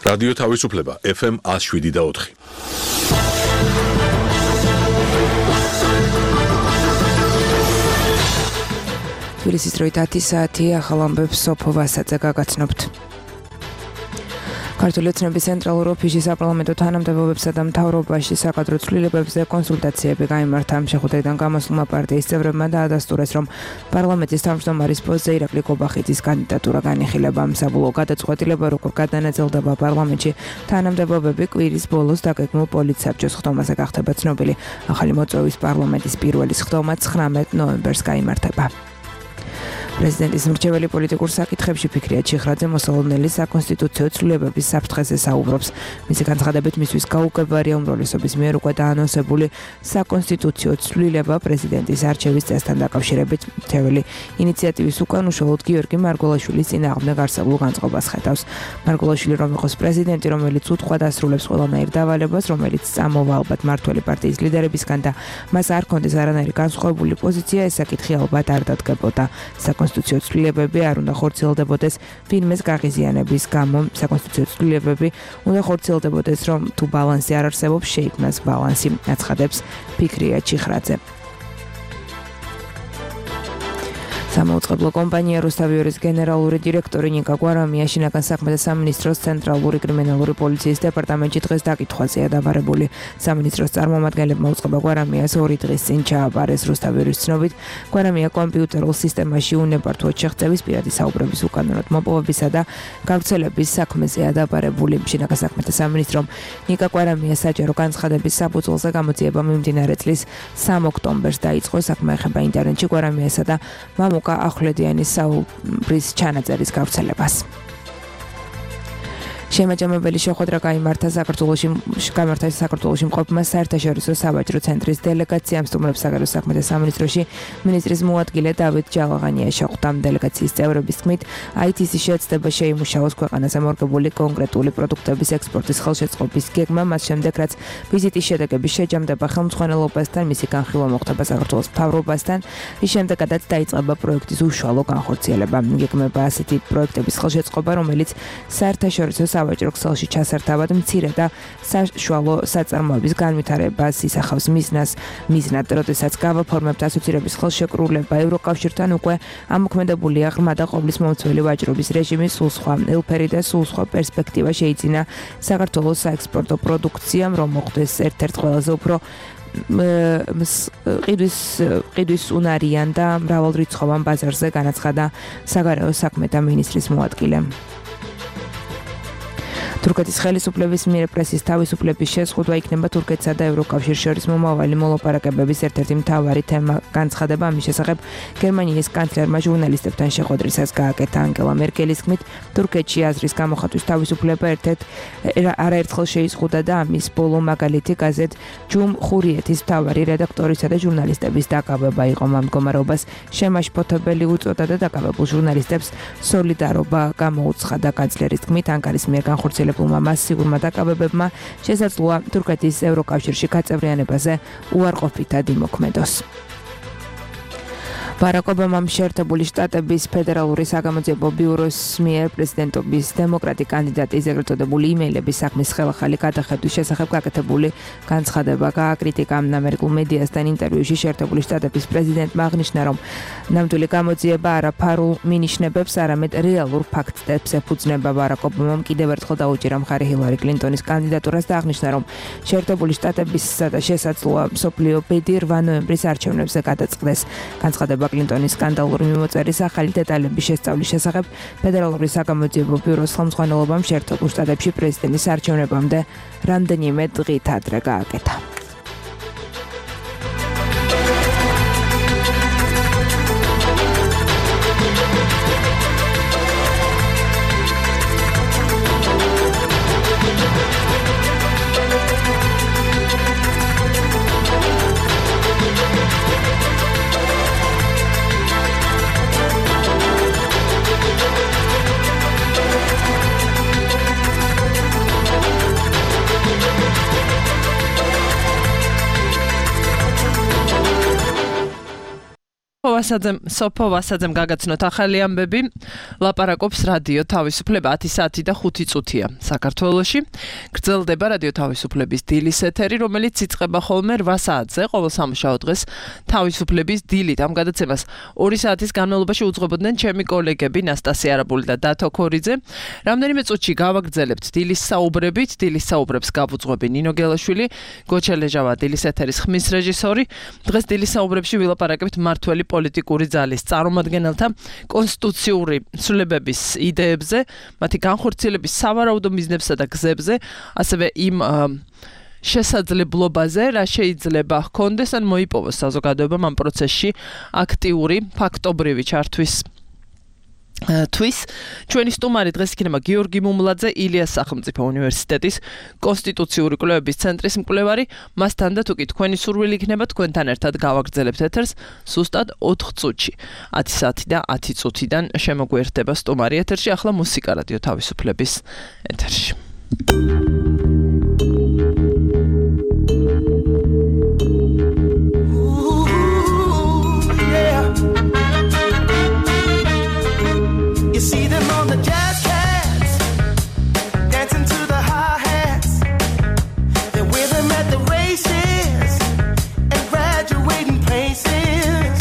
რადიო თავისუფლება FM 107.4. თბილისის დროით 10 საათი ახალ ამბებს სოფო ვასაძე გაგაცნობთ. ქართული ოცნების ცენტრალურ ოფისში საპარლამენტო თანამდებობებსა და მთავრობაში საკადრო ცვლილებებზე კონსულტაციები გაიმართა. შეხვედრიდან გამოსულმა პარტიის წევრებმა დაადასტურეს, რომ პარლამენტის თავმჯდომარის პოსტზე ირაკლი კობახიძის კანდიდატურა განიხილება. საბოლოო გადაწყვეტილება როგორ გადანაწილდება პარლამენტში თანამდებობები კვირის ბოლოს დაგეგმულ პოლიტსაბჭოს ხდომაზე გახდება ცნობილი. ახალი მოწვევის პარლამენტის პირველი სხდომა 19 ნოემბერს გაიმართება. პრეზიდენტის მრჩეველი პოლიტიკურ საკითხებში ფიქრია ჩიხრაძე მოსალოდნელი საკონსტიტუციო ცვლილებების საფრთხეზე საუბრობს. მისი განცხადებით მისთვის გაუგებარია უმრავლესობის მიერ უკვე დაანონსებული საკონსტიტუციო ცვლილება პრეზიდენტის არჩევის წესთან დაკავშირებით. მრჩეველი ინიციატივის უკან უშუალოდ გიორგი მარგველაშვილის წინააღმდეგ არსებულ განწყობას ხედავს. მარგველაშვილი რომ იყოს პრეზიდენტი, რომელიც უთხოვად ასრულებს ყველანაირ დავალებას, რომელიც წამოვა ალბათ მართველი პარტიის ლიდერებისგან და მას არ ჰქონდეს არანაირი განსხვავებული პოზიცია, ეს საკითხი ალბათ არ დადგებოდა. საკონსტიტუციო ცვლილებები არ უნდა ხორციელდებოდეს ვინმეს გაღიზიანების გამო. საკონსტიტუციო ცვლილებები უნდა ხორციელდებოდეს, რომ თუ ბალანსი არ არსებობს, შეიქმნას ბალანსი, აცხადებს ფიქრია ჩიხრაძე. სამაუწყებლო კომპანია რუსთავიორის გენერალური დირექტორი ნიკა გვარამია შინაგან საქმეთა სამინისტროს ცენტრალური კრიმინალური პოლიციის დეპარტამენტში დღეს დაკითხვაზეა დაბარებული. სამინისტროს წარმომადგენლებმა უწყება გვარამიას 2 დღის წინ ჩააბარეს. რუსთავიორის ცნობით, გვარამია კომპიუტერულ სისტემაში უნებართვოდ შეღწევის პირადი საუბრების უკანონოდ მოპოვებისა და გავრცელების საქმეზეა დაბარებული. შინაგან საქმეთა სამინისტრომ ნიკა გვარამიას საჯარო განცხადების საფუძველზე გამოძიება მიმდინარე წლის 3 ოქტომბერს დაიწყო. საქმე ეხება ინტერნეტში გვარამიასა და მამუკა ახვლედიანის საუბრის ჩანაწერის გავრცელებას. შემაჯამებელი შეხვედრა გაიმართა საქართველოში მყოფმა საერთაშორისო საბაჟრო ცენტრის დელეგაციამ. სტუმრებს საგარეო საქმეთა სამინისტროში მინისტრის მოადგილე დავით ჯალაღანია შეხვდა. დელეგაციის წევრების თქმით, IT-ს შეეცდება შეიმუშაოს ქვეყანაზე მორგებული კონკრეტული პროდუქტების ექსპორტის ხელშეწყობის გეგმა, მას შემდეგ რაც ვიზიტის შედეგები შეჯამდება ხელმძღვანელობასთან, მისი განხილვა მოხდება საქართველოს მთავრობასთან, ის შემდეგაც დაიწყება პროექტის უშუალო განხორციელება. გეგმება ასეთი პროექტების ხელშეწყობა, რომელიც საერთაშორისო საბაჟრო ქსელში ჩასართავად მცირე და საშუალო საწარმოების განვითარებას ისახავს. მიზნად, როდესაც გავაფორმებთ ასოცირების ხელშეკრულება ევროკავშირთან, უკვე ამოქმედებულია ღრმა და ყოვლის მომცველი ვაჭრობის რეჟიმი, სულ სხვა ელფერი და სულ სხვა პერსპექტივა შეიძინა საქართველოს საექსპორტო პროდუქციამ, რომ მოხდეს ერთ-ერთ ყველაზე უფრო ყიდვის უნარიან და მრავალრიცხოვან ბაზარზე, განაცხადა საგარეო საქმეთა მინისტრის მოადგილე. თურქეთის ხელისუფლების მიერ პრესის თავისუფლების შეზღუდვა იქნება თურქეთსა და ევროკავშირს შორის მომავალი მოლაპარაკებების ერთ-ერთი მთავარი თემა. განცხადება ამის შესახებ გერმანიის კანცლერმა ჟურნალისტებთან შეხვედრისას გააკეთა. ანგელა მერკელის თქმით, თურქეთში აზრის გამოხატვის თავისუფლება არაერთხელ შეიზღუდა და ამის ბოლო მაგალითი გაზეთ ჯუმ ხურიეთის მთავარი რედაქტორისა და ჟურნალისტების დაკავება იყო. ამ მდგომარეობას შემაშფოთებელი უწოდა და დაკავებულ ჟურნალისტებს სოლიდარობა გამოუცხადა. კანცლერის თქმით, ანკარის მიერ განხორციელებულმა მასიურმა დაკავებებმა შესაძლოა თურქეთის ევროკავშირში გაწევრიანებაზე უარყოფითად იმოქმედოს. ბარაკ ობამამ შეერთებული შტატების ფედერალური საგამოძიებო ბიუროს მიერ პრეზიდენტობის დემოკრატი კანდიდატის ეგრეთ წოდებული იმეილების საქმის ხელახალი გადახედვის შესახებ გაკეთებული განცხადება გააკრიტიკა. ამერიკულ მედიასთან ინტერვიუში შეერთებული შტატების პრეზიდენტმა აღნიშნა, რომ ნამდვილი გამოძიება არა ფარულ მინიშნებებს, არამედ რეალურ ფაქტებს ეფუძნება. ბარაკ ობამამ კიდევ ერთხელ დაუჭირა მხარი ჰილარი კლინტონის კანდიდატურას და აღნიშნა, რომ შეერთებული შტატებისა და შესაძლოა მსოფლიო ბედი 8 ნოემბრის არჩევნებზე გადაწყდეს. განცხადება კლინტონის სკანდალური მიმოწერის ახალი დეტალების შესწავლის შესახებ ფედერალური საგამოძიებო ბიუროს ხელმძღვანელობამ შეერთებულ შტატებში პრეზიდენტის არჩევნებამდე რამდენიმე დღით ადრე გააკეთა. სოფო ვასაძემ გაგაცნოთ ახალი ამბები. ლაპარაკობს რადიო თავისუფლება 10 საათი და 5 წუთია საქართველოში. გრძელდება რადიო თავისუფლების დილის ეთერი, რომელიც იწყება ხოლმე 8 საათზე ყოველ სამუშაო დღეს. თავისუფლების დილით ამ გადაცემას 2 საათის განმავლობაში უძღვებოდნენ ჩემი კოლეგები ნასტასია არაბული და დათო ქორიძე. რამდენიმე წუთში გავაგრძელებთ დილის საუბრებით. დილის საუბრებს გავუძღვები ნინო გელაშვილი, გოჩელეჟავა დილის ეთერის ხმის რეჟისორი. დღეს დილის საუბრებში ვილაპარაკებთ მართველი პოლიტიკური ძალის წარმომადგენელთა კონსტიტუციური ცვლილებების იდეებზე, მათი განხორციელების სავარაუდო მიზნებსა და გზებზე, ასევე იმ შესაძლებლობაზე, რა შეიძლება ჰქონდეს ან მოიპოვოს საზოგადოებამ ამ პროცესში აქტიური, ფაქტობრივი ჩართვის. ჩვენი სტუმარი დღეს იქნება გიორგი მუმლაძე, ილიას სახელმწიფო უნივერსიტეტის კონსტიტუციური კვლევების ცენტრის მკვლევარი. მასთან და თუკი თქვენი სურვილი იქნება, თქვენთან ერთად გავაგრძელებთ ეთერს სუსტად 4 წუთში. 10 საათი და 10 წუთიდან შემოგვიერთდება სტუმარი ეთერში. ახლა მუსიკა რადიო თავისუფლების ეთერში. You see them on the jazz cats, dancing to the hi-hats. They're with them at the races and graduating places.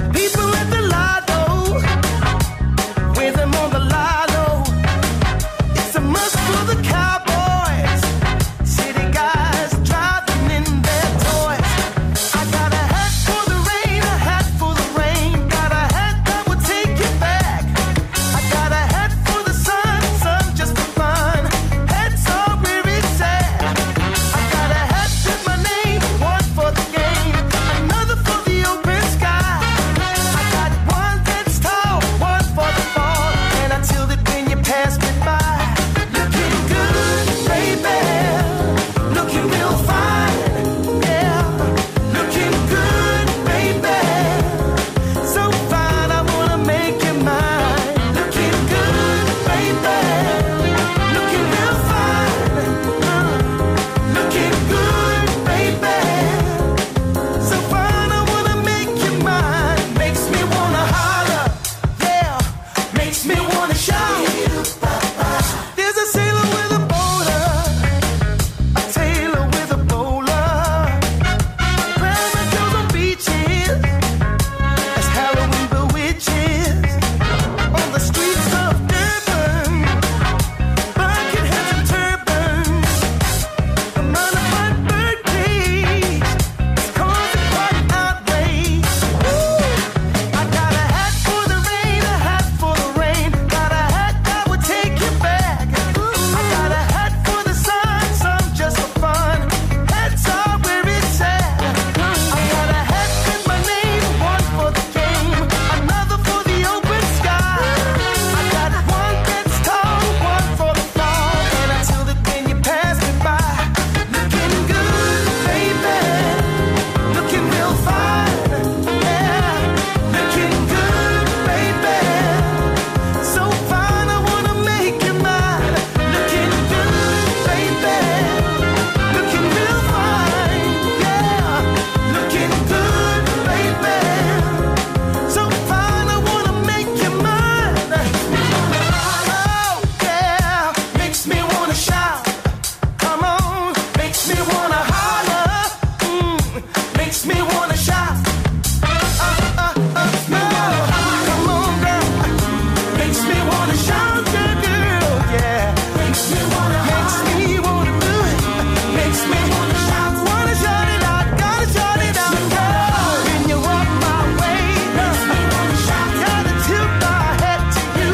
The people at the lotto, with them on the lotto. It's a must for the cowboys, city guys driving in their toys. I got a hat for the rain, a hat for the rain. Got a hat that will take you back. I got a hat for the sun, sun just for fun. Hats are where it's at. I got a hat with my name, one for the game, another for the open sky. I got one that's tall, one for the fall, and I tilt it when you pass me by. Looking good, baby, looking real fine, yeah. Looking good, baby, so fine I wanna make you mine. Looking good, baby, looking real fine, looking good, baby, so fine I wanna make you mine. Makes me wanna holler, yeah, makes me wanna shout. There's a sailor with a boulder, a tailor with a bowler, rabbit goes on beaches as Halloween bewitches. On the streets of Durban, bucket hats and turbans. The modified bird cage is causing quite an outrage. I got a hat for the rain, a hat for the rain. Got a hat that would take you back. I got a hat for the sun, sun just for fun. Hats are where it's at. I got a hat with my name, one for the game, another for the open sky. I got one that's tall, one for the fall, and I tilt it when you pass me by. Looking good, baby, looking real fine, yeah. Looking good, baby, so fine I wanna make you mine. Looking good, baby, looking real fine, yeah. Looking good, baby, so fine I wanna make you mine. Oh yeah, makes me wanna shout. Come on, makes me wanna holler, makes me wanna shout. No, come on, girl, makes me wanna shout, girl, yeah. Makes me wanna do it, makes me wanna shout it out, gotta shout it out, girl. When you walk my way, makes me wanna shout, gotta tilt my head to you,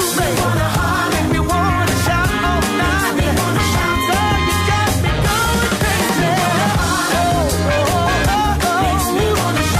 make me wanna shout all night. Girl, you got me going crazy. Makes me wanna shout.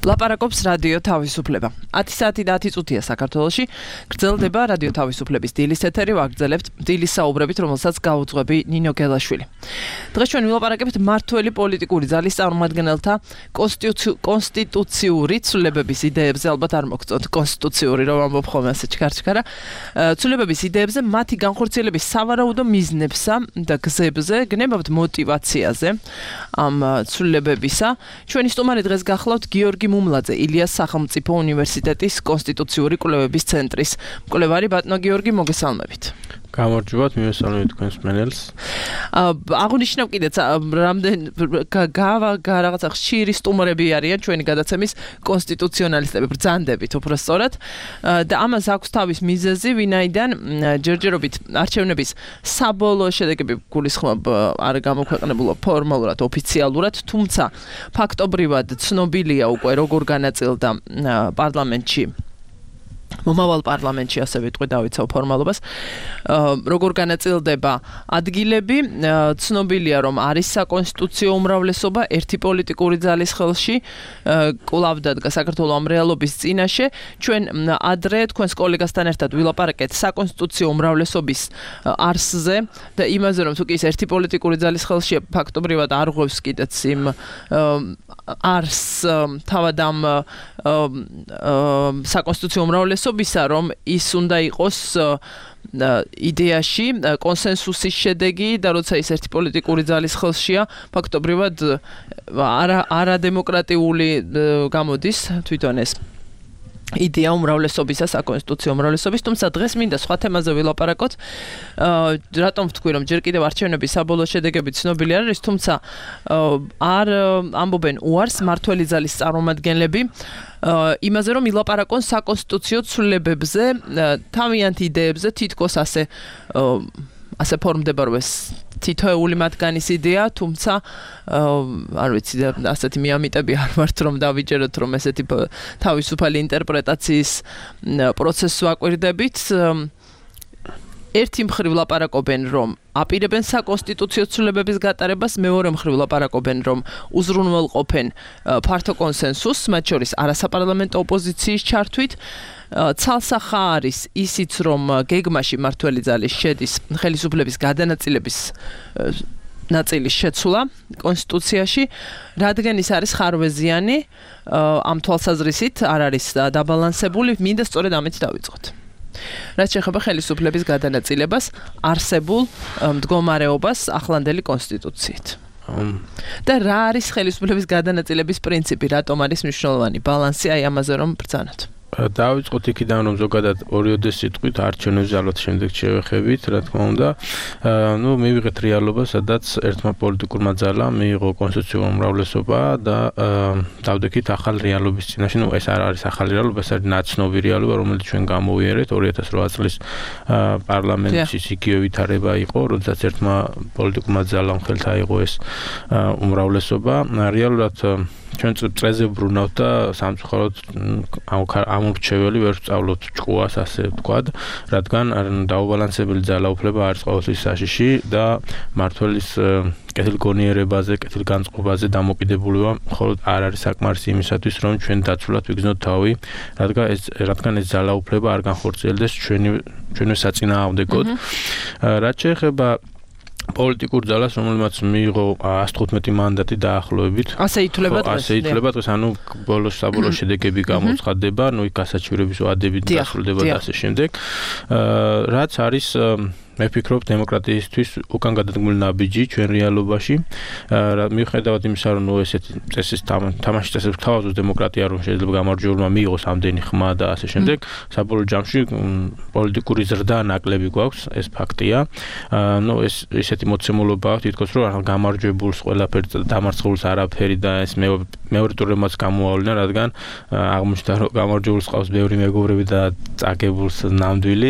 ლაპარაკობს რადიო თავისუფლება. 10 საათი და 10 წუთია საქართველოში. გრძელდება რადიო თავისუფლების დილის ეთერი, ვაგრძელებთ დილის საუბრებით, რომელსაც გაუძღვები ნინო გელაშვილი. დღეს ჩვენ ვილაპარაკებთ მართველი პოლიტიკური ძალის წარმომადგენელთა კონსტიტუციური ცვლილებების იდეებზე, ალბათ არ მოგწონთ კონსტიტუციური რომ ამბობ ხოლმე ასე ჩქარჩქარა. ცვლილებების იდეებზე, მათი განხორციელების სავარაუდო მიზნებსა და გზებზე, გნებავთ მოტივაციაზე ამ ცვლილებებისა. ჩვენი სტუმარი დღეს გახლავთ გიორგი მუმლაძე, ილიას სახელმწიფო უნივერსიტეტის კონსტიტუციური კვლევების ცენტრის მკვლევარი. ბატონო გიორგი, მოგესალმებით. გამარჯობათ, მივესალმებით თქვენს მენელს. აღნიშნავ კიდეც რაღაცა ხშირი სტუმრები არიან ჩვენი გადაცემის კონსტიტუციონალისტები, ბრძანდებით უფრო სწორად. და ამას აქვს თავის მიზეზი, ვინაიდან ჯერჯერობით არჩევნების საბოლოო შედეგები გულისხმობ არ გამოქვეყნებულა ფორმალურად, ოფიციალურად, თუმცა ფაქტობრივად ცნობილია უკვე როგორ განაწილდა პარლამენტში მომავალ პარლამენტში, ასე ვიტყვი, დავიცავ ფორმალობას, როგორ განაწილდება ადგილები, ცნობილია, რომ არის საკონსტიტუციო უმრავლესობა ერთი პოლიტიკური ძალის ხელში, კვლავ დადგა საქართველოს ამ რეალობის წინაშე. ჩვენ ადრე თქვენს კოლეგასთან ერთად ვილაპარაკეთ საკონსტიტუციო უმრავლესობის არსზე და იმაზე, რომ თუ კი ის ერთი პოლიტიკური ძალის ხელში ფაქტობრივად არ ღვევს კიდეც იმ არს თავად ამ საკონსტიტუციო უმრავლესობისა, რომ ის უნდა იყოს იდეაში კონსენსუსის შედეგი და როცა ის ერთი პოლიტიკური ძალის ხელშია, ფაქტობრივად არადემოკრატიული გამოდის თვითონ ეს იდეა უმრავლესობისა, საკონსტიტუციო უმრავლესობის, თუმცა დღეს მინდა სხვა თემაზე ვილაპარაკოთ. რატომ ვთქვი, რომ ჯერ კიდევ არჩევნების საბოლოო შედეგები ცნობილი არ არის, თუმცა არ ამბობენ უარს მართველი ძალის წარმომადგენლები იმაზე, რომ ილაპარაკონ საკონსტიტუციო ცვლილებებზე, თავიანთ იდეებზე, თითქოს ასე ფორმდება, რომ ეს თითოეული მათგანის იდეა, თუმცა არ ვიცი, ასეთი მიამიტები არ ვართ, რომ დავიჯეროთ, რომ ესეთი თავისუფალი ინტერპრეტაციის პროცესს ვაკვირდებით. ერთი მხრივ ლაპარაკობენ, რომ აპირებენ საკონსტიტუციო ცვლილებების გატარებას, მეორე მხრივ ლაპარაკობენ, რომ უზრუნველყოფენ ფართო კონსენსუსს, მათ შორის არასაპარლამენტო ოპოზიციის ჩართვით. ცალსახა არის ისიც, რომ გეგმაში მართველი ძალის შედის ხელისუფლების გადანაწილების ნაწილის შეცვლა კონსტიტუციაში, რადგან ის არის ხარვეზიანი, ამ თვალსაზრისით არ არის დაბალანსებული, მინდა სწორედ ამით დავიწყოთ. რაც შეეხება ხელისუფლების გადანაწილებას, არსებულ მდგომარეობას ახლანდელი კონსტიტუციით. და რა არის ხელისუფლების გადანაწილების პრინციპი, რატომ არის მნიშვნელოვანი ბალანსი აი ამაზე რომ ბრძანოთ? დავიწყოთ იქიდან, რომ ზოგადად ორიოდე სიტყვით არჩევნებს ალბათ შემდეგ შევეხებით, რა თქმა უნდა. მივიღეთ რეალობა, სადაც ერთმა პოლიტიკურმა ძალამ მიიღო კონსტიტუციურ უმრავლესობა და დავდექით ახალ რეალობის წინაშე. ეს არ არის ახალი რეალობა, ეს არის ნაცნობი რეალობა, რომელიც ჩვენ გამოვიარეთ 2008 წლის პარლამენტში იგივე ვითარება იყო, როდესაც ერთმა პოლიტიკურმა ძალამ ხელთ აიღო ეს უმრავლესობა. რეალურად ჩვენ წრეზე ვბრუნავთ და სამწუხაროდ ამორჩეველი ვერ ვწავლოთ ჭკუას, ასე ვთქვათ, რადგან დაუბალანსებელი ძალაუფლება არის ყოველთვის საშიში და მართველის კეთილგონიერებაზე, კეთილგანწყობაზე დამოკიდებულება მხოლოდ არ არის საკმარისი იმისათვის, რომ ჩვენ დაცულად ვიგრძნოთ თავი, რადგან ეს ძალაუფლება არ განხორციელდეს ჩვენვე საწინააღმდეგოდ. რაც შეეხება პოლიტიკურ ძალას, რომელმაც მიიღო 115 მანდატი დაახლოებით. ასე ითვლება დღეს. ასე ითვლება დღეს, საბოლოო შედეგები გამოცხადდება, იქ გასაჩივრების ვადებით დასრულდება და ასე შემდეგ. რაც არის მე ვფიქრობ დემოკრატიისთვის უკან გადადგმული ნაბიჯი ჩვენ რეალობაში. მიუხედავად იმისა, რომ ესეთი წესის თამაშის წესებს თავაზობს დემოკრატია, რომ შეიძლება გამარჯვებულმა მიიღოს ამდენი ხმა და ასე შემდეგ, საბოლოო ჯამში პოლიტიკური ზრდა ნაკლები გვაქვს, ეს ფაქტია. ესეთი მოცემულობა აქვს, თითქოს რომ გამარჯვებულს ყველაფერი დამარცხებულს არაფერი და ეს მეორე ტურებმაც გამოავლინა, რადგან აღმოჩნდა, რომ გამარჯვებულს ყავს ბევრი მეგობრები და წაგებულს ნამდვილი,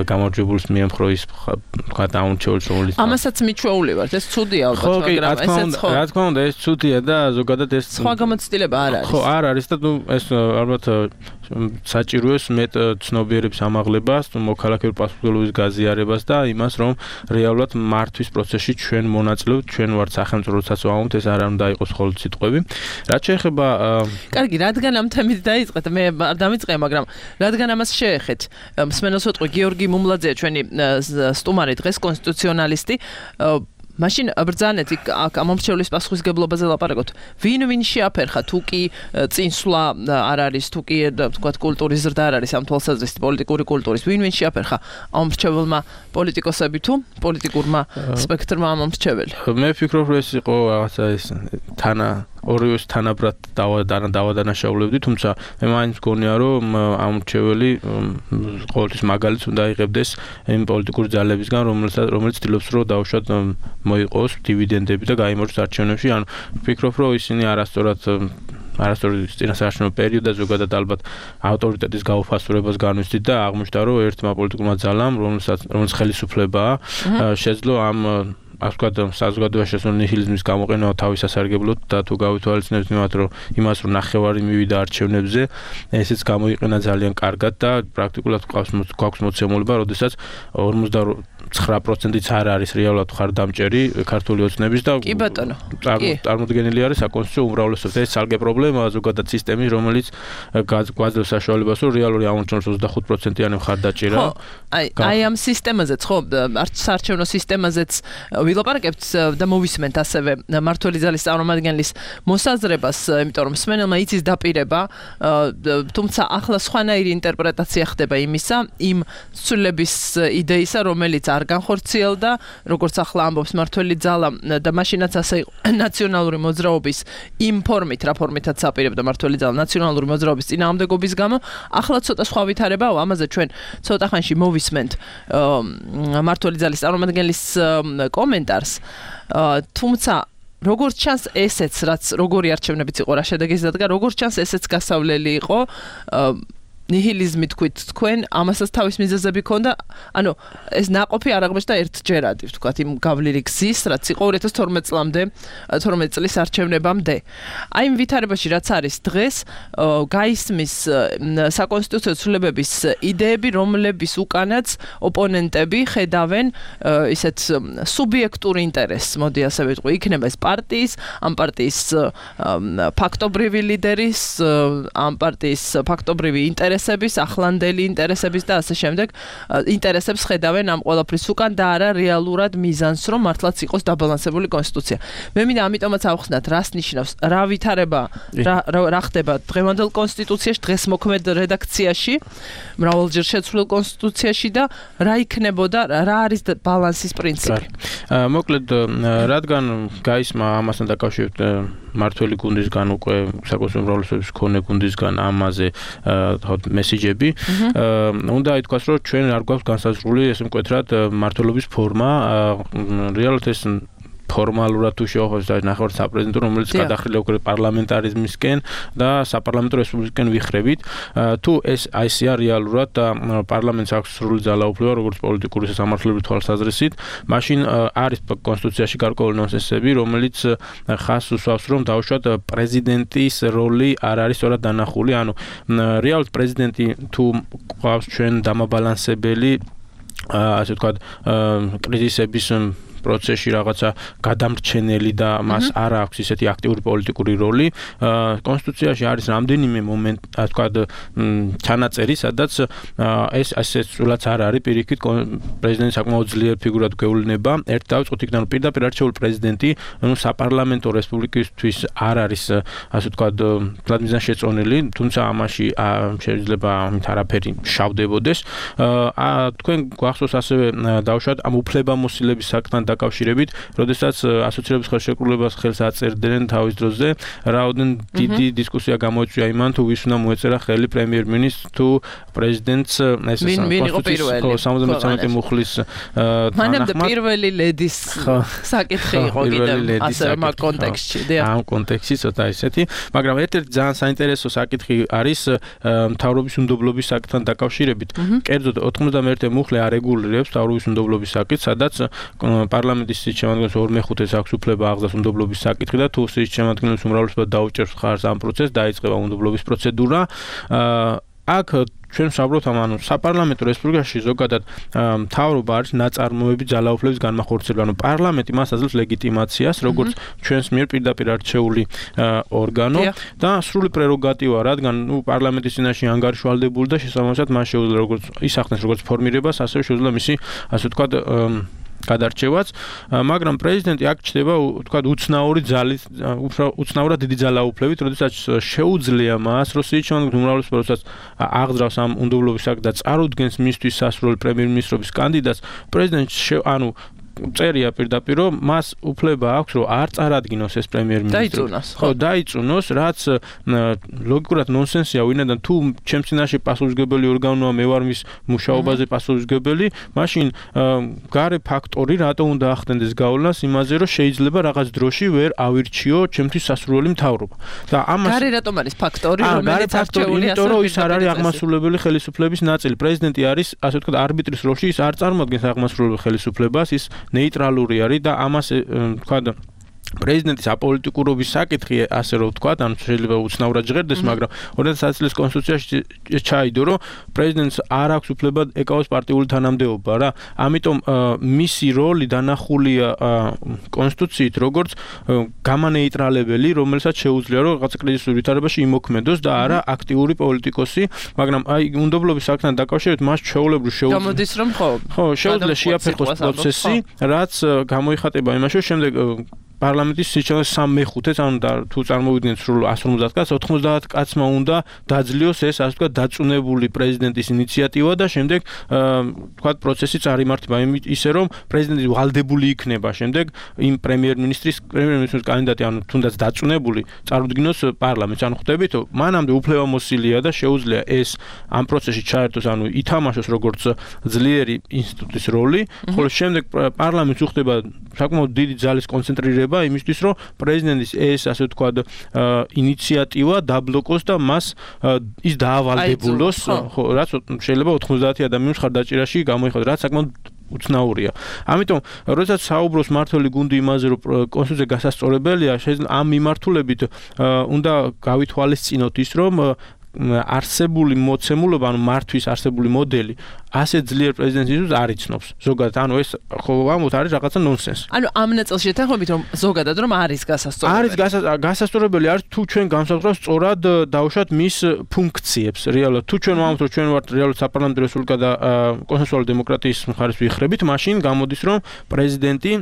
გამარჯვებულს მიემხრო ის თქვა დაუნჩეულს, რომელიც ამასაც მიჩვეული ვართ, ეს ცუდია ალბათ, მაგრამ ესეც ხო. რა თქმა უნდა, ეს ცუდია და ზოგადად ეს სხვა გამოცდილება არ არის. ხო, არ არის და ეს ალბათ საჭიროებს მეტ ცნობიერების ამაღლებას, მოქალაქეების პასუხისმგებლობის გაზიარებას და იმას, რომ რეალურად მართვის პროცესში ჩვენ მონაწილეობთ, ჩვენ ვართ სახელმწიფო, როდესაც ვამბობთ, ეს არ უნდა იყოს მხოლოდ სიტყვები. რაც შეეხება კარგი, რადგან ამ თემით დაიწყეთ, მე არ დამიწყე, მაგრამ რადგან ამას შეეხეთ. მსმენელს ვეთქვი, გიორგი მუმლაძეა ჩვენი სტუმარი დღეს, კონსტიტუციონალისტი. მაშინ ბრძანეთ აქ ამომრჩევლის პასუხისმგებლობაზე ლაპარაკობთ. ვინ შეაფერხა, თუ კი წინსვლა არ არის, თუ კი თქვათ კულტურის ზრდა არ არის ამ თვალსაზრისით, პოლიტიკური კულტურის, ვინ შეაფერხა ამომრჩეველმა პოლიტიკოსები თუ პოლიტიკურმა სპექტრმა ამომრჩეველი? მე ვფიქრობ, რომ ეს იყო რაღაცა ის ორივეს თანაბრად დავადანაშაულებდი, თუმცა მე მაინც მგონია, რომ ამომრჩეველი ყოველთვის მაგალითს უნდა იღებდეს იმ პოლიტიკური ძალებისგან, რომელიც ცდილობს, რომ დაუშვათ მოიყოს დივიდენდები და გაიმარჯვოს არჩევნებში. ანუ ვფიქრობ, რომ ისინი არასწორად წინასაარჩევნო პერიოდზე ზოგადად ალბათ ავტორიტეტის გაუფასურებას განვიცდით და აღმოჩნდა, რომ ერთმა პოლიტიკურმა ძალამ, რომელიც ხელისუფლებაა, შეძლო ამ ასე ვთქვათ, საზოგადოებაში შესულ ნიჰილიზმის გამოყენება თავის სასარგებლოდ და თუ გავითვალისწინებთ იმას, რომ ნახევარი მივიდა არჩევნებზე, ესეც გამოიყენა ძალიან კარგად და პრაქტიკულად გვაქვს მოცემულობა, როდესაც 49%-იც არ არის რეალურად მხარდამჭერი ქართული ოცნების და კი ბატონო, წარმოდგენილი არის საკონსტიტუციო უმრავლესობა. ეს ცალკე პრობლემაა ზოგადად სისტემის, რომელიც გვაძლევს საშუალებას, რომ რეალური ამომრჩეველის 25%-იანი მხარდაჭერა. აი ამ სისტემაზეც, ხო, საარჩევნო სისტემაზეც ვილაპარაკებთ და მოვისმენთ ასევე მმართველი ძალის წარმომადგენლის მოსაზრებას, იმიტომ რომ მსმენელმა იცის დაპირება, თუმცა ახლა სხვანაირი ინტერპრეტაცია ხდება იმისა, იმ ცვლილების იდეისა, რომელიც არ განხორციელდა, როგორც ახლა ამბობს მმართველი ძალა და მაშინაც ასე იყო ნაციონალური მოძრაობის იმ ფორმით, რა ფორმითაც აპირებდა მმართველი ძალა ნაციონალური მოძრაობის წინააღმდეგობის გამო, ახლა ცოტა სხვა ვითარებაა, ამაზე ჩვენ ცოტა ხანში მოვისმენთ მმართველი ძალის წარმომადგენლის კომენტარს. თუმცა როგორც ჩანს ესეც, რაც როგორი არჩევნებიც იყო, რა შედეგიც დადგა, როგორც ჩანს ესეც გასავლელი იყო. ნიჰილიზმი თქვით თქვენ, ამასაც თავის მიზეზები ქონდა. ანუ ეს ნაყოფი არ აღმოჩნდა ერთჯერადი, ვთქვათ, იმ გავლილი გზის, რაც იყო 2012 წლამდე, 12 წლის არჩევნებამდე. აი იმ ვითარებაში, რაც არის დღეს, გაისმის საკონსტიტუციო ცვლილებების იდეები, რომლების უკანაც ოპონენტები ხედავენ ისეთ სუბიექტურ ინტერესს, მოდი ასე ვიტყვი, იქნება ეს პარტიის, ამ პარტიის ფაქტობრივი ლიდერის, ამ პარტიის ფაქტობრივი ინტერესების, ახლანდელი ინტერესების და ასე შემდეგ ინტერესებს ხედავენ ამ ყველაფრის უკან და არა რეალურად მიზანს, რომ მართლაც იყოს დაბალანსებული კონსტიტუცია. მე მინდა ამიტომაც ავხსნათ, რას ნიშნავს, რა ვითარება, რა ხდება დღევანდელ კონსტიტუციაში, დღეს მოქმედ რედაქციაში, მრავალჯერ შეცვლილ კონსტიტუციაში და რა იქნებოდა, რა არის ბალანსის პრინციპი. მოკლედ, რადგან გაისმა ამასთან დაკავშირებით მმართველი გუნდისგან უკვე საკონსტიტუციო უმრავლესობის მქონე გუნდისგან ამაზე მესიჯები, უნდა ითქვას, რომ ჩვენ არ გვაქვს განსაზღვრული ესე მკვეთრად მმართველობის ფორმა, რეალურად ეს ფორმალურად თუ შევახოთ და ნახევარ საპრეზიდენტო, რომელიც გადახრილია უკვე პარლამენტარიზმისკენ და საპარლამენტო რესპუბლიკისკენ ვიხრებით, თუ ეს აისია რეალურად და პარლამენტს აქვს სრული ძალაუფლება, როგორც პოლიტიკური სამართლებრივი თვალსაზრისით, მაშინ არის კონსტიტუციაში გარკვეული ნონსენსები, რომელიც ხაზს უსვამს, რომ დაუშვათ პრეზიდენტის როლი არ არის სწორად დანახული, ანუ რეალურად პრეზიდენტი თუ გვყავს ჩვენ დამაბალანსებელი, ასე ვთქვათ, კრიზისების პროცესში რაღაცა გადამრჩენელი და მას არ აქვს ისეთი აქტიური პოლიტიკური როლი. კონსტიტუციაში არის რამდენიმე მომენტი, ასე ვთქვათ, ჩანაწერი, სადაც ეს ასე სულაც არ არის პირიქით პრეზიდენტი საკმაოდ ძლიერ ფიგურად გვევლნება. ერთ დავიწყოთ იქიდან, რომ პირდაპირ არჩეული პრეზიდენტი, საპარლამენტო რესპუბლიკისთვის არ არის, ასე ვთქვათ, თლად მიზანშეწონილი, თუმცა ამაში შეიძლება ამით არაფერი შავდებოდეს. თქვენ გვახსოვს ასევე დავუშვათ ამ უფლებამოსილების საკითხთან დაკავშირებით, როდესაც ასოცირების ხელშეკრულებას ხელს აწერდნენ თავის დროზე, რაოდენ დიდი დისკუსია გამოიწვია იმან, თუ ვის უნდა მოეწერა ხელი პრემიერ-მინისტრს თუ პრეზიდენტს, ეს კონსტიტუციის 73 მუხლის მანამდე პირველი ლედის საკითხი იყო კიდევ ასე მაგ კონტექსტში. ამ კონტექსტში ცოტა ისეთი, მაგრამ ერთ-ერთი ძალიან საინტერესო საკითხი არის მთავრობის უნდობლობის საკითხთან დაკავშირებით. კერძოდ 91 მუხლი არეგულირებს მთავრობის უნდობლობის საკითხს, სადაც პარლამენტის სიჩემადგენლოს 2/5-ს აქვს უფლება აღზრდას უნდობლობის საკითხი და თუ სიჩემადგენლოს უმრავლესობა დაუჭერს მხარს ამ პროცესს, დაიწყება უნდობლობის პროცედურა. აქ ჩვენ ვსაუბრობთ ანუ საპარლამენტო რესპუბლიკაში ზოგადად მთავრობა არის ნაწარმოები ძალაუფლების განმახორციელება. ანუ პარლამენტი მას აძლევს ლეგიტიმაციას, როგორც ჩვენს მიერ პირდაპირ არჩეული ორგანო და სრული პრეროგატივა, რადგან პარლამენტის წინაშე ანგარიშვალდებული და შესაბამისად მას შეუძლია როგორც ისახნეს როგორც ფორმირებას, ასევე შეუძლია მისი ასე ვთქვათ გადარჩევაც, მაგრამ პრეზიდენტი აქ ჩდება ვთქვათ უცნაური ძალით, უცნაურად დიდი ძალაუფლებით, როდესაც შეუძლია მას როსიჩონ უმრავლესობა როდესაც აღძრავს ამ უნდობლობის აქტს და წარუდგენს მისთვის სასურველ პრემიერ-მინისტრობის კანდიდატს, პრეზიდენტი ანუ წერია პირდაპირ რომ მას უფლება აქვს რომ არ წარადგინოს ეს პრემიერ-მინისტრი. ხო, დაიწუნოს, რაც ლოგიკურად ნონსენსია, ვინაიდან თუ ჩემს წინაშე პასუხისმგებელი ორგანოა, მე ვარ მის მუშაობაზე პასუხისმგებელი, მაშინ გარე ფაქტორი რატომ უნდა ახდენდეს გავლენას იმაზე, რომ შეიძლება რაღაც დროში ვერ ავირჩიო ჩემთვის სასურველი მთავრობა. და ამას გარე რატომ არის ფაქტორი, რომელიც არჩეულია, იმიტომ რომ ის არ არის აღმასრულებელი ხელისუფლების ნაწილი. პრეზიდენტი არის, ასე ვთქვათ, არბიტრის როლში, ის არ წარმოადგენს აღმასრულებელ ხელისუფლებას, ის ნეიტრალური არის და ამას ვთქვათ პრეზიდენტის აპოლიტიკურობის საკითხი, ასე რომ ვთქვათ, ან შეიძლება უცნაურად ჟღერდეს, მაგრამ 2010 წლის კონსტიტუციაში ჩაიდო, რომ პრეზიდენტს არ აქვს უფლება ეკავოს პარტიული თანამდებობა რა. ამიტომ მისი როლი დანახულია კონსტიტუციით, როგორც გამანეიტრალებელი, რომელსაც შეუძლია რომ რაღაცა კრიზისურ ვითარებაში იმოქმედოს და არა აქტიური პოლიტიკოსი, მაგრამ აი უნდობლობის საქმთან დაკავშირებით მას ჩვეულებრივ შეუძლია. გამოდის რომ ხო, შეუძლია შეაფერხოს პროცესი, რაც გამოიხატება იმაში, რომ შემდეგ პარლამენტის სიჩქარე 3/5-ს ანუ თუ წარმოვიდგინეთ სრულ 150 კაცს 90 კაცმა უნდა დაძლიოს ეს ასე ვთქვათ დაწუნებული პრეზიდენტის ინიციატივა და შემდეგ ვთქვათ პროცესი წარიმართება ისე რომ პრეზიდენტი ვალდებული იქნება შემდეგ იმ პრემიერ-მინისტრის კანდიდატი ანუ თუნდაც დაწუნებული წარუდგინოს პარლამენტს ანუ ხვდებით მანამდე უფლებამოსილია და შეუძლია ეს ამ პროცესში ჩაერთოს ანუ ითამაშოს როგორც ძლიერი ინსტიტუტის როლი ხოლო შემდეგ პარლამენტს უხდება საკმაოდ დიდი ძალის კონცენტრირება იმისთვის რომ პრეზიდენტის ეს ასე ვთქვათ ინიციატივა დაბლოკოს და მას ის დაავალდებულოს ხო რაც შეიძლება 90 ადამიანის ხარდაჭერაში გამოიხადოს რაც საკმაოდ უცნაურია. ამიტომ როდესაც საუბრობს მართველი გუნდი იმაზე რომ კონსტიტუცია გასასწორებელია შეიძლება ამ მიმართულებით უნდა გავითვალისწინოთ ის რომ არსებული მოცემულობა, ანუ მართვის არსებული მოდელი, ასე ძლიერ პრეზიდენტის არ იცნობს. ზოგადად, ანუ ეს ხო ამოთ არის რაღაცა ნონსენსი. ანუ ამ ნაწილში ეთანხმებით რომ ზოგადად რომ არის გასასწორებელი. არის გასასწორებელი არის თუ ჩვენ განსაზღვრავს სწორად დავუშვათ მის ფუნქციებს. რეალურად თუ ჩვენ ვამბობთ რომ ჩვენ ვართ რეალურად საპარლამენტო რესპუბლიკა და კონსტიტუციური დემოკრატიის მხარეს ვიხრებით, მაშინ გამოდის რომ პრეზიდენტი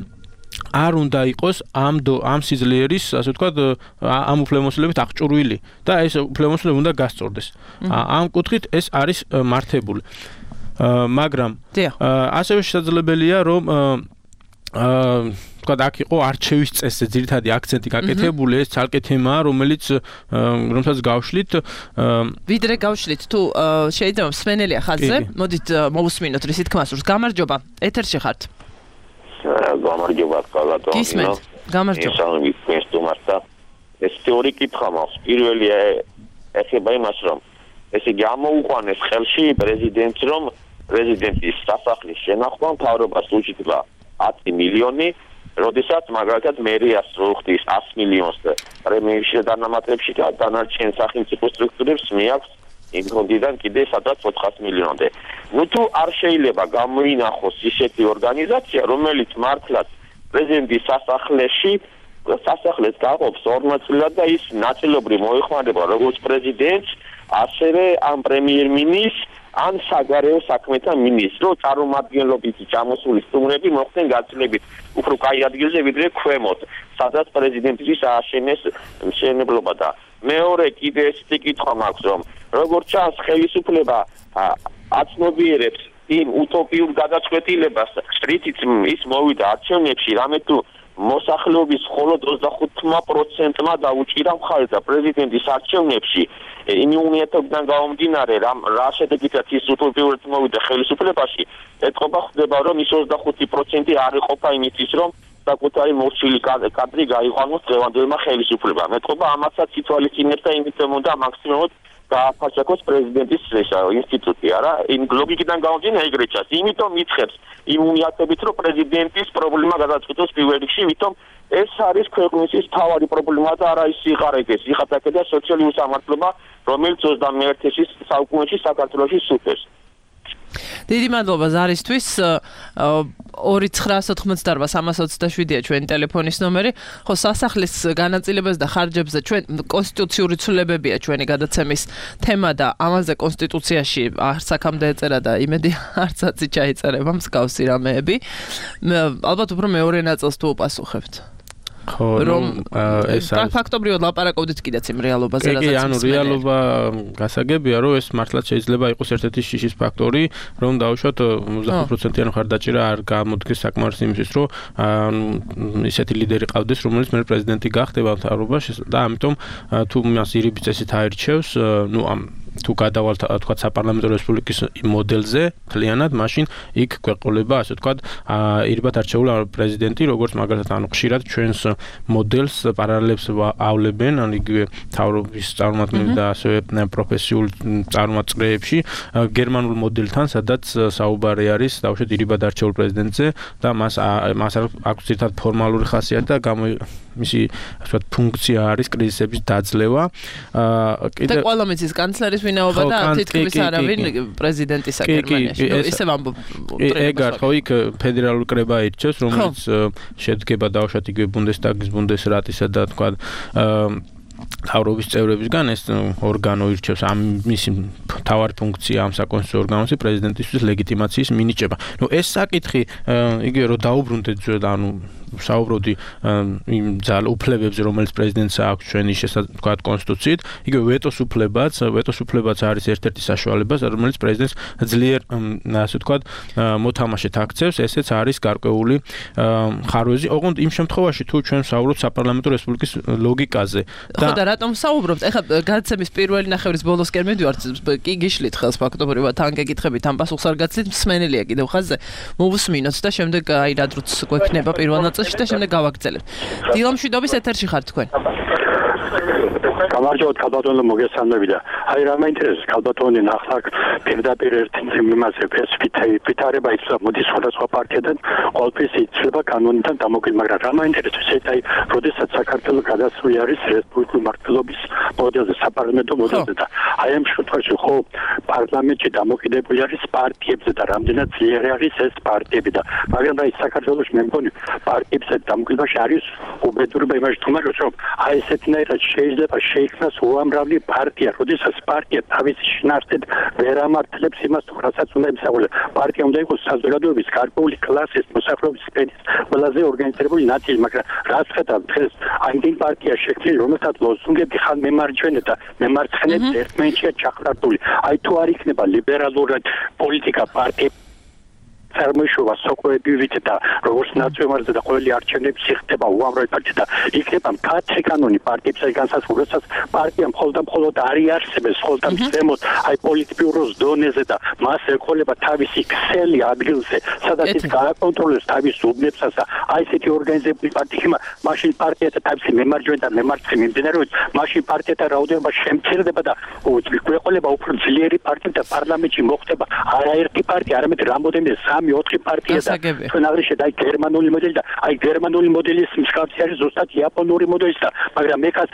არ უნდა იყოს ამ სიძლიერის, ასე ვთქვათ, ამ უფლებამოსილებით აღჭურვილი და ეს უფლებამოსილება უნდა გასწორდეს. ამ კუთხით ეს არის მართებული. მაგრამ ასევე შესაძლებელია რომ ვთქვათ, აქ იყო არჩევის წესზე ძირითადი აქცენტი გაკეთებული, ეს ცალკე თემაა, რომელსაც გავშლით. ვიდრე გავშლით, თუ შეიძლება მსმენელია ხაზზე, მოდით მოვუსმინოთ რისი თქმა სურს. გამარჯობა, ეთერში ხართ. გამარჯობა კალატო. გისმენთ. გამარჯობა. ისალმი კესტუმართა. ეს თეორი კითხვა მაქვს. პირველი ეხება იმას, რომ ესე გამოუყვანეს ხელში პრეზიდენტს, რომ პრეზიდენტის სასახლის შენახვა მთავრობას უჭირდება 10 მილიონი, როდესაც მაგალითად მერიას უხდის 100 მილიონს პრემიერში და დანამატებში და დანარჩენ სახელმწიფო სტრუქტურებს მიაქვს იმ ფონდიდან კიდე სადაც 400 მილიონამდე. ნუ თუ არ შეიძლება გამოინახოს ისეთი ორგანიზაცია, რომელიც მართლაც პრეზიდენტის სასახლეს გაყოფს 2 ნაწილად და ის ნაწილობრივ მოიხმარება როგორც პრეზიდენტს, ასევე ამ პრემიერ-მინისტრს, ან საგარეო საქმეთა მინისტრს, წარმომადგენლობითი ჩამოსული სტუმრები მოხდნენ გაცილებით უფრო კაი ადგილზე ვიდრე ქვემოთ, სადაც პრეზიდენტის ააშენეს მშენებლობა და მეორე კიდე ესეთი კითხვა მაქვს, რომ როგორც ჩანს ხელისუფლება აცნობიერებს იმ უტოპიურ გადაწყვეტილებას, რითიც ის მოვიდა არჩევნებში, რამე თუ მოსახლეობის მხოლოდ 25%-მა დაუჭირა მხარი და პრეზიდენტის არჩევნებში იმუნიტეტიდან გამომდინარე რა შედეგითაც ის უტოპიურად მოვიდა ხელისუფლებაში, ეთყობა ხდება რომ ის 25% არ იყოფა იმისთვის რომ საკუთარი მორჩილი კადრი გაიყვანოს დღევანდელმა ხელისუფლებამ. ეთყობა ამასაც ითვალისწინებს და იმითომ უნდა მაქსიმუმად გააფართოს პრეზიდენტის ინსტიტუტი, არა? იმ ლოგიკიდან გამომდინარე ეგრე ჩანს. იმიტომ მიცხებს იმუნიტეტით რომ პრეზიდენტის პრობლემა გადაწყვეტოს პირველ რიგში, ვითომ ეს არის ქვეყნის მთავარი პრობლემა და არა ის სიყარაკეს, იხატაკე და სოციალური უსამართლობა, რომელიც 21-ში საუკუნეში საქართველოში სუფევს. დიდი მადლობა ზარისთვის 2988-327-ია ჩვენი ტელეფონის ნომერი. ხო, სასახლის განაწილებას და ხარჯებზე ჩვენ კონსტიტუციური ცვლილებებია ჩვენი გადაცემის თემა და ამაზე კონსტიტუციაში არც აქამდე ეწერა და იმედი არცაცი ჩაიწერება მსგავსი რამეები. ალბათ უფრო მეორე ნაწილს თუ უპასუხებთ. ხო, რომ ეს ფაქტობრივად ლაპარაკობდით კიდეც იმ რეალობაზე, რასაც ანუ რეალობა გასაგებია, რომ ეს მართლაც შეიძლება იყოს ერთ-ერთი შიშის ფაქტორი, რომ დავუშვათ 25%-იანი მხარდაჭერა არ გამოდგეს საკმარისი იმისთვის, რომ ისეთი ლიდერი ყავდეს, რომელიც მე პრეზიდენტი გახდება მთავრობაში და ამიტომ თუ მას ირიბი წესით აირჩევს, ნუ ამ თუ გადავალთ თქვა საპარლამენტო რესპუბლიკის მოდელზე მთლიანად, მაშინ იქ გვეყოლება ასე თქვა ირიბად არჩეული პრეზიდენტი, როგორც მაგალითად ანუ ხშირად ჩვენს მოდელს პარალელებს ავლებენ, ან იგივე მთავრობის წარმომადგენლები და ასევე პროფესიულ წარმომადგენლებში გერმანულ მოდელთან, სადაც საუბარი არის დავუშვათ ირიბად არჩეულ პრეზიდენტზე და მას აქვს ერთად ფორმალური ხასიათი და მისი ასე ვთქვათ ფუნქცია არის კრიზისების დაძლევა. და ყველა მიწის კანცლერის ვინაობა და თითქმის არავინ პრეზიდენტისა გერმანიაში. ისე ვამბობ. ეგარ ხო იქ ფედერალური კრება ირჩევს, რომელიც შედგება დავუშვათ იგივე ბუნდესტაგის, ბუნდესრატისა და თქვა მთავრობის წევრებისგან ეს ორგანო ირჩევს ამ მისი მთავარი ფუნქცია ამ საკონსტიტუციო ორგანოში პრეზიდენტისთვის ლეგიტიმაციის მინიჭება. ნუ ეს საკითხი იგივე რომ დაუბრუნდეთ ანუ საუბრობდი იმ უფლებებზე, რომელიც პრეზიდენტს აქვს ჩვენი თქვა კონსტიტუციით, იგივე ვეტოს უფლებაც არის ერთ-ერთი საშუალება, რომელიც პრეზიდენტს ძლიერ ასე თქვა მოთამაშედ აქცევს, ესეც არის გარკვეული ხარვეზი. ოღონდ იმ შემთხვევაში თუ ჩვენ ვსაუბრობთ საპარლამენტო რესპუბლიკის ლოგიკაზე და რატომ ვსაუბრობთ? ეხლა გადაცემის პირველი ნახევრის ბოლოსკენ მივდივართ, კი გიშლით ხელს ფაქტობრივად თან გეკითხებით, ამ პასუხს არ გაცლით, მსმენელია კიდევ ხაზზე. მოვუსმინოთ და შემდეგ აი რა დროც გვექნება პირველ ნაწილში და შემდეგ გავაგრძელებთ. დილომშვიდობის ეთერში ხართ თქვენ. გამარჯობათ ქალბატონო, მოგესალმები და აი რა მაინტერესებს ქალბატონი ნახლა პირდაპირ ერთი იმაზე ვითარება იცოდა მოდის სხვადასხვა პარტიიდან ყოველთვის იცლება კანონიდან დამოუკიდებლად, მაგრამ რა მაინტერესებს ეს აი როდესაც საქართველოს გადასული არის რესპუბლიკური მართლობის მოდელზე, საპარლამენტო მოდელზე და აი ამ შემთხვევაში ხო პარლამენტში დამოუკიდებელი არის პარტიებზე და რამდენად ძლიერი არის ეს პარტიები და მაგრამ აი საქართველოს მე მგონი პარტიებზე დამოუკიდებლობაში არის უბედურება იმაში თუმცა რომ აი ესეთნაირად შეიძლება შეიქმნას უამრავი პარტია, როდესაც პარტია თავის შინაარსით ვერ ამართლებს იმას, რასაც უნდა იმსახუროს. პარტია უნდა იყოს საზოგადოების გარკვეული კლასის მოსახლეობის სფერის ყველაზე ორგანიზებული ნაწილი, მაგრამ რაც ხედავთ დღეს ამდენ პარტია შექმნილი, რომელსაც ლოზუნგები ხან მემარჯვენე და მემარცხენე ერთმანეთშია ჩაყრდნილი. აი თუ არ იქნება ლიბერალური პოლიტიკა პარტია წარმოიშობა სოკვებივით და როგორც ნაციონალიზმი და ყოველი არჩევნები ხდება უამრავი პარტია და იქნება მკაცრი კანონი პარტიებსა განსაზღვრებასაც პარტია მხოლოდ არის არსებობს ხოლმე ზემოთ აი პოლიტბიუროს დონეზე და მას ეკოლება თავისი ქსელი ადგილზე სადაც ის გააკონტროლებს თავის უბნებსაც და აი ესეთი ორგანიზებული პარტია მაშინ პარტიათა თავისი მემარჯვენე და მემარცხენე მიმდინარეობს მაშინ პარტიათა რაოდენობა შემცირდება და ეკოლება უფრო ძლიერი პარტია და პარლამენტში მოხდება არაერთი პარტია არამედ რამოდენიმე 3-4 პარტია და ჩვენ აღნიშნეთ აი გერმანული მოდელი და აი გერმანული მოდელის მსგავსი არის ზუსტად იაპონური მოდელი და მაგრამ ეკაც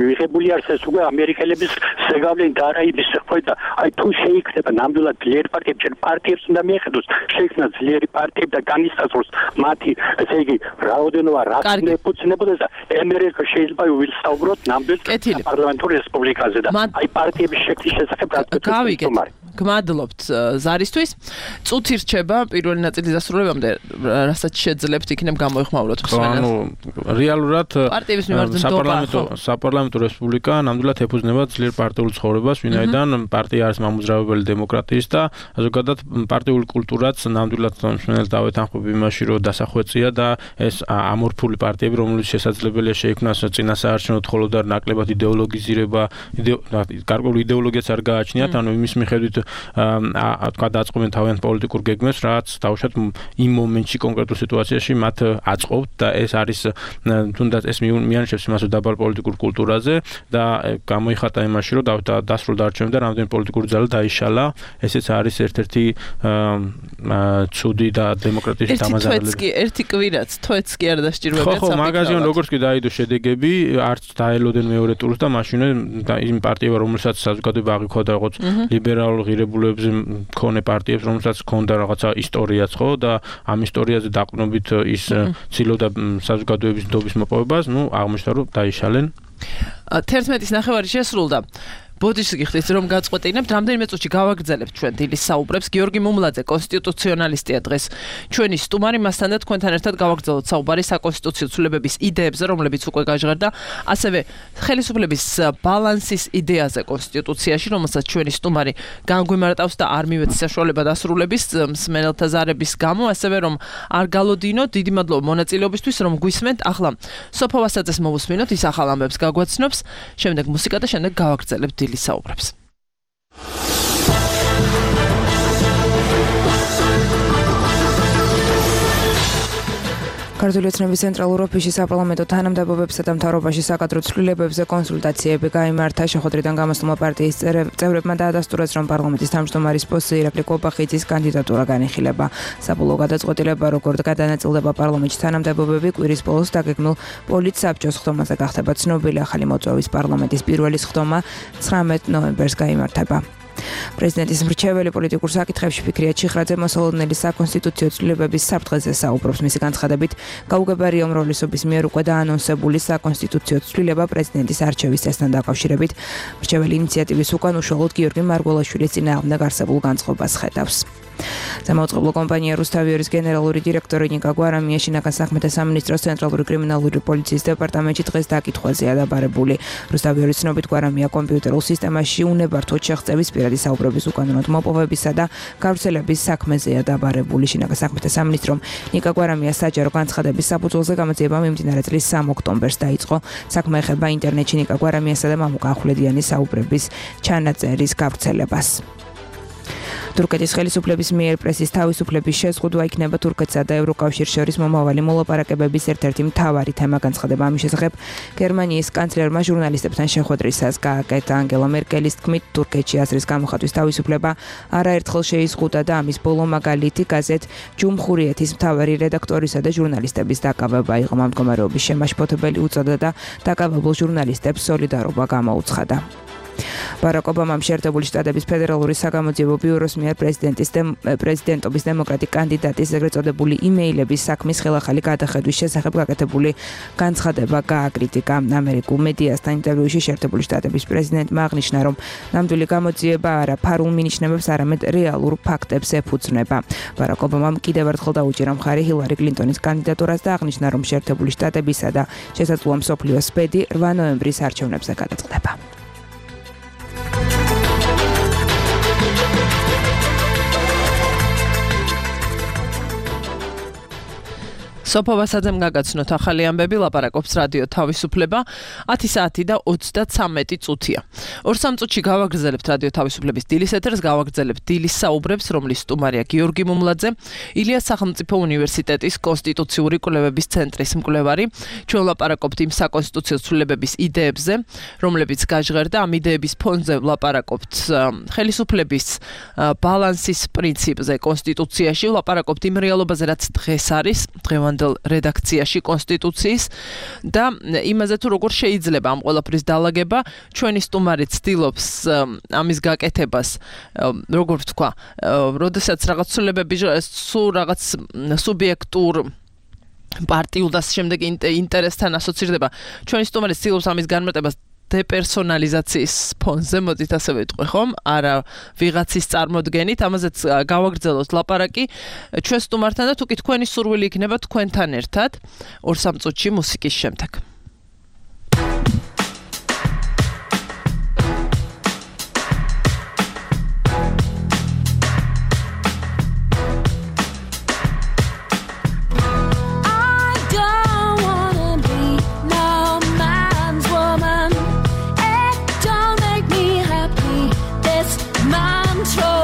მიღებული არის ეს უკვე ამერიკელების ზეგავლენ დარაიბის ხო და აი თუ შეიქნება ნამდვილად ძლიერი პარტიები ჩვენ პარტიებს უნდა მიეხედოს შეიქმნა ძლიერი პარტიები და განისაზღვროს მათი ესე იგი რაოდენობა რა უნდა ეფუძნებოდეს და ამერიკა შეიძლება ვისაუბროთ ნამდვილ პარლამენტურ რესპუბლიკაზე და აი პარტიების შექმნის შესახებ რა გმადლობთ ზარისთვის. წუთი რჩება პირველი ნაწილის დასრულებამდე, რასაც შეძლებთ იქნებ გამოიხმაუროთ ხსვენას. ანუ რეალურად საპარლამენტო რესპუბლიკა ნამდვილად ეფუძნება ძლიერ პარტიულ ცხოვრებას, ვინაიდან პარტია არის მამოძრავებელი დემოკრატიის და ზოგადად პარტიული კულტურაც ნამდვილად მსმენელს დავეთანხმებ იმაში, რომ დასახვეწია და ეს ამორფული პარტიები, რომლებიც შესაძლებელია შეიქმნას წინასაარჩევნო მხოლოდ არ ნაკლებად იდეოლოგიზირება, გარკვეული იდეოლოგიაც არ გააჩნიათ, ანუ იმის მიხედვით თქვა დაწყობენ თავიანთ პოლიტიკურ გეგმებს, რაც თავშად იმ მომენტში კონკრეტულ სიტუაციაში მათ აწყობთ და ეს არის თუნდაც ეს მიანიშნებს იმას დაბალ პოლიტიკურ კულტურაზე და გამოიხატა იმაში, რომ დასრულდა არჩევნები და რამდენი პოლიტიკური ძალა დაიშალა. ესეც არის ერთ-ერთი ცუდი და დემოკრატიის დამაზარალებელი. ერთი კვირაც თვეც კი არ დასჭიროებია ხო, მაგაზიან როგორც კი დაიდო შედეგები, არც დაელოდენ მეორე ტურს და მაშინვე იმ პარტიებმა, რომელსაც საზოგადოება აღიქვა როგორც ლიბერალურ ღირებულებებზე მქონე პარტიებს, რომელსაც ჰქონდა რაღაცა ისტორიაც, ხო, და ამ ისტორიაზე დაყრდნობით ის ცდილობდა საზოგადოების ნდობის მოპოვებას, აღმოჩნდა რომ დაიშალენ. 11-ის ნახევარი შესრულდა. ბოდიშს გიხდით რომ გაწყვეტინებთ რამდენიმე წუთში გავაგრძელებთ ჩვენ დილის საუბრებს. გიორგი მუმლაძე კონსტიტუციონალისტია დღეს ჩვენი სტუმარი, მასთან და თქვენთან ერთად გავაგრძელოთ საუბარი საკონსტიტუციო ცვლილებების იდეებზე, რომლებიც უკვე გაჟღერდა, ასევე ხელისუფლების ბალანსის იდეაზე კონსტიტუციაში, რომელსაც ჩვენი სტუმარი განგვიმარტავს და არ მივეც საშუალება დასრულების მსმენელთა ზარების გამო, ასევე რომ არ გალოდინოთ. დიდი მადლობა მონაწილეობისთვის, რომ გვისმენთ. ახლა სოფო ვასაძეს მოვუსმინოთ, ის ახალ ამბებს გაგვაცნობს, შემდეგ მუსიკა და შემდეგ გავაგრძელებთ საუბრებს. ქართული ოცნების ცენტრალურ ოფისში საპარლამენტო თანამდებობებსა და მთავრობაში საკადრო ცვლილებებზე კონსულტაციები გაიმართა. შეხვედრიდან გამოსულმა პარტიის წევრებმა დაადასტურეს, რომ პარლამენტის თავმჯდომარის პოსტზე ირაკლი კობახიძის კანდიდატურა განიხილება. საბოლოო გადაწყვეტილება, როგორ გადანაწილდება პარლამენტის თანამდებობები, კვირის ბოლოს დაგეგმილ პოლიტსაბჭოს ხდომაზე გახდება ცნობილი. ახალი მოწვევის პარლამენტის პირველი ხდომა 19 ნოემბერს გაიმართება. პრეზიდენტის მრჩეველი პოლიტიკურ საკითხებში ფიქრია ჩიხრაძე მოსალოდნელი საკონსტიტუციო ცვლილებების საფრთხეზე საუბრობს. მისი განცხადებით, გაუგებარია უმრავლესობის მიერ უკვე დაანონსებული საკონსტიტუციო ცვლილება პრეზიდენტის არჩევის წესთან დაკავშირებით. მრჩეველი ინიციატივის უკან უშუალოდ გიორგი მარგველაშვილის წინააღმდეგ არსებულ განწყობას ხედავს. Სამაუწყებლო კომპანია რუსთავიორის გენერალური დირექტორი ნიკა გვარამია შინაგან საქმეთა სამინისტროს ცენტრალური კრიმინალური პოლიციის დეპარტამენტში დღეს დაკითხვაზეა დაბარებული. რუსთავიორის ცნობით გვარამია კომპიუტერულ სისტემაში უნებართვოდ შეღწევის პირადი საუბრების უკანონოდ მოპოვებისა და გავრცელების საქმეზეა დაბარებული. შინაგან საქმეთა სამინისტრომ ნიკა გვარამიას საჯარო განცხადების საფუძველზე გამოძიება მიმდინარე წლის 3 ოქტომბერს დაიწყო. საქმე ეხება ინტერნეტში ნიკა გვარამიასა და მამუკა ახვლედიანის საუბრების ჩანაწერის გავრცელებას. თურქეთის ხელისუფლების მიერ პრესის თავისუფლების შეზღუდვა იქნება თურქეთსა და ევროკავშირს შორის მომავალი მოლაპარაკებების ერთ-ერთი მთავარი თემა. განცხადება ამის შესახებ გერმანიის კანცლერმა ჟურნალისტებთან შეხვედრისას გააკეთა. ანგელა მერკელის თქმით, თურქეთში აზრის გამოხატვის თავისუფლება არაერთხელ შეიზღუდა და ამის ბოლო მაგალითი გაზეთ ჯუმჰურიეთის მთავარი რედაქტორისა და ჟურნალისტების დაკავება იყო. ამ მდგომარეობის შემაშფოთებელი უწოდა და დაკავებულ ჟურნალისტებს სოლიდარობა გამოუცხადა. ბარაკ ობამამ შეერთებული შტატების ფედერალური საგამოძიებო ბიუროს მიერ პრეზიდენტობის დემოკრატი კანდიდატის ეგრეთ წოდებული იმეილების საქმის ხელახალი გადახედვის შესახებ გაკეთებული განცხადება გააკრიტიკა. ამერიკულ მედიასთან ინტერვიუში შეერთებული შტატების პრეზიდენტმა აღნიშნა, რომ ნამდვილი გამოძიება არა ფარულ მინიშნებებს, არამედ რეალურ ფაქტებს ეფუძნება. ბარაკ ობამამ კიდევ ერთხელ დაუჭირა მხარი ჰილარი კლინტონის კანდიდატურას და აღნიშნა, რომ შეერთებული შტატებისა და შესაძლოა მსოფლიოს ბედი 8 ნოემბრის არჩევნებზე გადაწყდება. სოფო ვასაძემ გაგაცნოთ ახალი ამბები, ლაპარაკობს რადიო თავისუფლება. 10 საათი და 33 წუთია. 2-3 წუთში გავაგრძელებთ რადიო თავისუფლების დილის ეთერს, გავაგრძელებთ დილის საუბრებს, რომლის სტუმარია გიორგი მუმლაძე, ილიას სახელმწიფო უნივერსიტეტის კონსტიტუციური კვლევების ცენტრის მკვლევარი. ჩვენ ლაპარაკობთ იმ საკონსტიტუციო ცვლილებების იდეებზე, რომლებიც გაჟღერდა. ამ იდეების ფონზე ლაპარაკობთ ხელისუფლების ბალანსის პრინციპზე კონსტიტუციაში, ლაპარაკობთ იმ რეალობაზე, რაც დღეს არის, დღევანდელ რედაქციაში კონსტიტუციის და იმაზე თუ როგორ შეიძლება ამ ყველაფრის დალაგება. ჩვენი სტუმარი ცდილობს ამის გაკეთებას, როგორ ვთქვა, როდესაც რაღაც ცვლილებები სულ რაღაც სუბიექტურ პარტიულ და შემდეგ ინტერესთან ასოცირდება. ჩვენი სტუმარი ცდილობს ამის განმარტებას დეპერსონალიზაციის ფონზე, მოდით ასე ვიტყვი, ხომ? არა ვიღაცის წარმოდგენით, ამაზეც გავაგრძელოთ ლაპარაკი ჩვენ სტუმართან და თუკი თქვენი სურვილი იქნება თქვენთან ერთად 2-3 წუთში მუსიკის შემდეგ. Control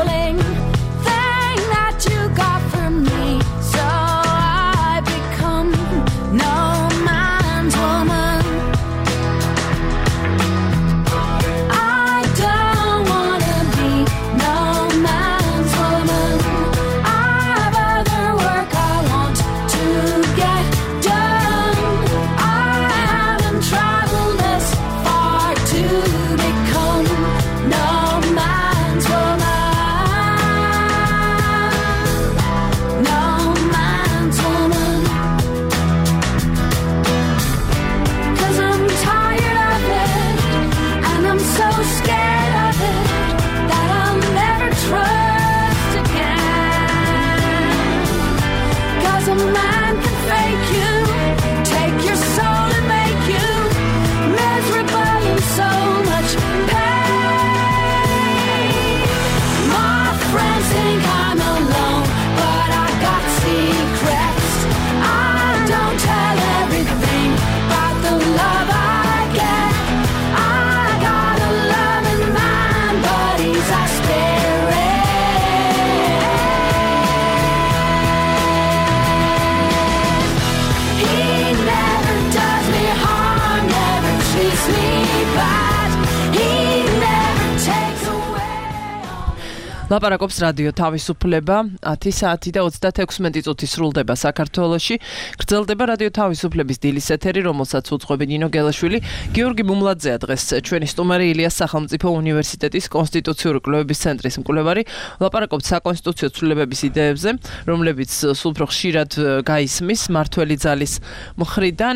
ლაპარაკობს რადიო თავისუფლება 10 საათი და 36 წუთი სრულდება საქართველოში. გრძელდება რადიო თავისუფლების დილის ეთერი, რომელსაც უძღვები ნინო გელაშვილი. გიორგი მუმლაძეა დღეს ჩვენი სტუმარი, ილიას სახელმწიფო უნივერსიტეტის კონსტიტუციური კვლევების ცენტრის მკვლევარი. ლაპარაკობთ საკონსტიტუციო ცვლილებების იდეებზე, რომლებიც სულ უფრო ხშირად გაისმის მართველი ძალის მხრიდან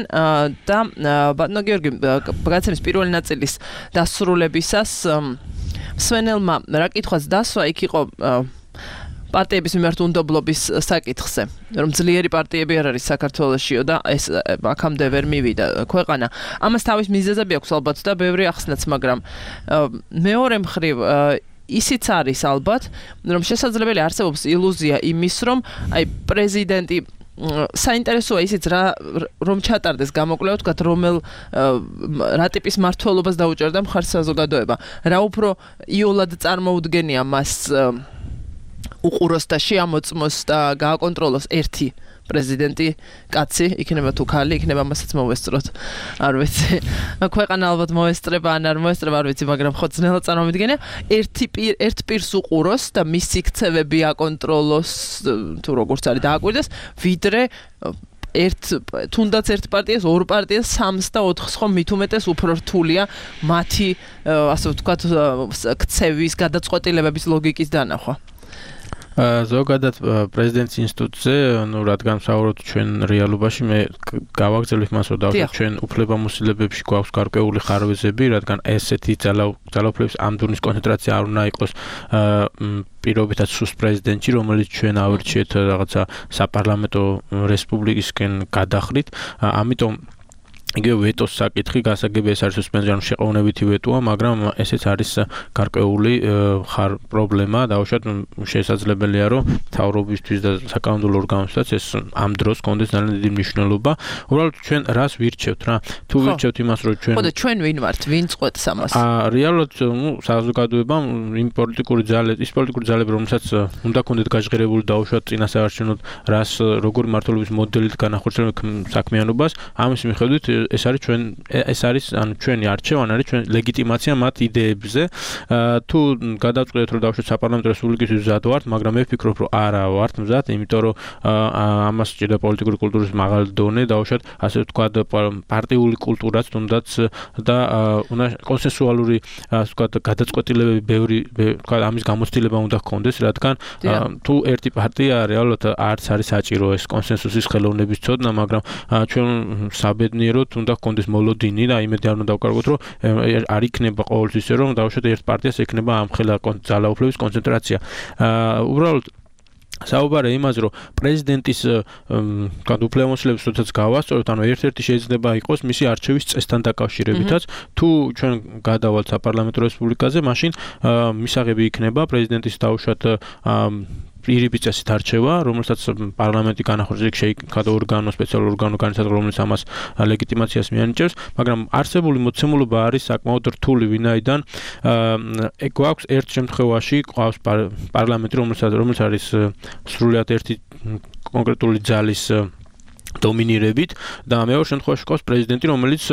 და ბატონო გიორგი, გადაცემის პირველი ნაწილის დასრულებისას მსვენელმა რა კითხვაც დასვა, იქ იყო პარტიების მიმართ უნდობლობის საკითხზე, რომ ძლიერი პარტიები არ არის საქართველოსშიო და ეს აქამდე ვერ მივიდა ქვეყანა. ამას თავის მიზეზები აქვს ალბათ და ბევრი ახსნაც, მაგრამ მეორე მხრივ ისიც არის ალბათ, რომ შესაძლებელი არსებობს ილუზია იმის, რომ აი პრეზიდენტი საინტერესოა ისიც რომ ჩატარდეს გამოკვლევა, თქვათ რა ტიპის მმართველობას დაუჭერდა მხარს საზოგადოება. რა უფრო იოლად წარმოუდგენია მას უყუროს და შეამოწმოს და გააკონტროლოს ერთი პრეზიდენტი, კაცი, იქნება თუ ქალი, იქნება მასაც მოვესწროთ. არ ვიცი. ქვეყანა ალბათ მოესწრება ან არ მოესწრება, არ ვიცი, მაგრამ ხო ძნელად წარმოვიდგენია. ერთ პირს უყუროს და მისი ქცევები აკონტროლოს, თუ როგორც არის დააკვირდეს, ვიდრე თუნდაც ერთ პარტიას, ორ პარტიას, 3 და 4-ს ხომ მით უმეტეს უფრო რთულია მათი, ასე ვთქვათ, ქცევის, გადაწყვეტილებების ლოგიკის დანახვა. ზოგადად პრეზიდენტის ინსტიტუტზე, რადგან ვსაუბრობთ ჩვენ რეალობაში, მე გავაგრძელებ მას, რომ დავუშვათ ჩვენ უფლებამოსილებებში გვაქვს გარკვეული ხარვეზები, რადგან ესეთი ძალაუფლების ამდურნის კონცენტრაცია არ უნდა იყოს პირობითად სუსტ პრეზიდენტი, რომელიც ჩვენ ავირჩიეთ რაღაცა საპარლამენტო რესპუბლიკისკენ გადახრით, ამიტომ იგივე ვეტოს საკითხი გასაგები ეს არის სუსპენზიანო შეყოვნებითი ვეტოა, მაგრამ ესეც არის გარკვეული პრობლემა, დაუშვათ შესაძლებელია, რომ მთავრობისთვის და საკანონმდებლო ორგანოთაც ეს ამ დროს კონდეს ძალიან დიდი მნიშვნელობა. უბრალოდ ჩვენ რას ვირჩევთ რა? თუ ვირჩევთ იმას, რომ ჩვენ ხო და ჩვენ ვინ ვართ, ვინ წყვეტს ამას? რეალურად საზოგადოებამ იმ პოლიტიკური ძალები, რომელსაც უნდა ქონდეთ გაჟღერებული დაუშვათ წინასაარჩევნოდ რას როგორი მმართველობის მოდელით განახორციელებენ საქმიანობას, ამის მიხედვით ეს არის ჩვენი არჩევანი არის ჩვენ ლეგიტიმაცია მათ იდეებზე. თუ გადავწყვეტთ რომ დავუშვათ საპარლამენტო რესპუბლიკის მზად ვართ, მაგრამ მე ვფიქრობ რომ არა ვართ მზად, იმიტომ რომ ამას სჭირდა პოლიტიკური კულტურის მაღალი დონე, დავუშვათ ასე ვთქვათ პარტიული კულტურაც თუნდაც და უნდა კონსენსუალური ასე ვთქვათ გადაწყვეტილებები ბევრი ვთქვათ ამის გამოცდილება უნდა ჰქონდეს, რადგან თუ ერთი პარტია რეალურად არც არის საჭირო ეს კონსენსუსის ხელოვნების ცოდნა, მაგრამ ჩვენ საბედნიეროდ უნდა ჰქონდეს მოლოდინი და იმედი არ უნდა დავკარგოთ, რომ არ იქნება ყოველთვის ისე, რომ დავუშვათ ერთ პარტიას ექნება ამ ხელა ძალაუფლების კონცენტრაცია. უბრალოდ საუბარია იმაზე, რომ პრეზიდენტის უფლებამოსილების როდესაც გავასწორებთ, ანუ ერთ-ერთი შეიძლება იყოს მისი არჩევის წესთან დაკავშირებითაც, თუ ჩვენ გადავალთ საპარლამენტო რესპუბლიკაზე, მაშინ მისაღები იქნება პრეზიდენტის დავუშვათ პირობითი წესით არჩევა, რომელსაც პარლამენტი განახორციელებს შეიკავდა ორგანო, სპეციალური ორგანო განიცადა, რომელიც ამას ლეგიტიმაციას მიანიჭებს, მაგრამ არსებული მოცემულობა არის საკმაოდ რთული, ვინაიდან გვაქვს ერთ შემთხვევაში ყავს პარლამენტი, რომელიც არის სრულიად ერთი კონკრეტული ძალის დომინირებით და მეორე შემთხვევაში ყავს პრეზიდენტი, რომელიც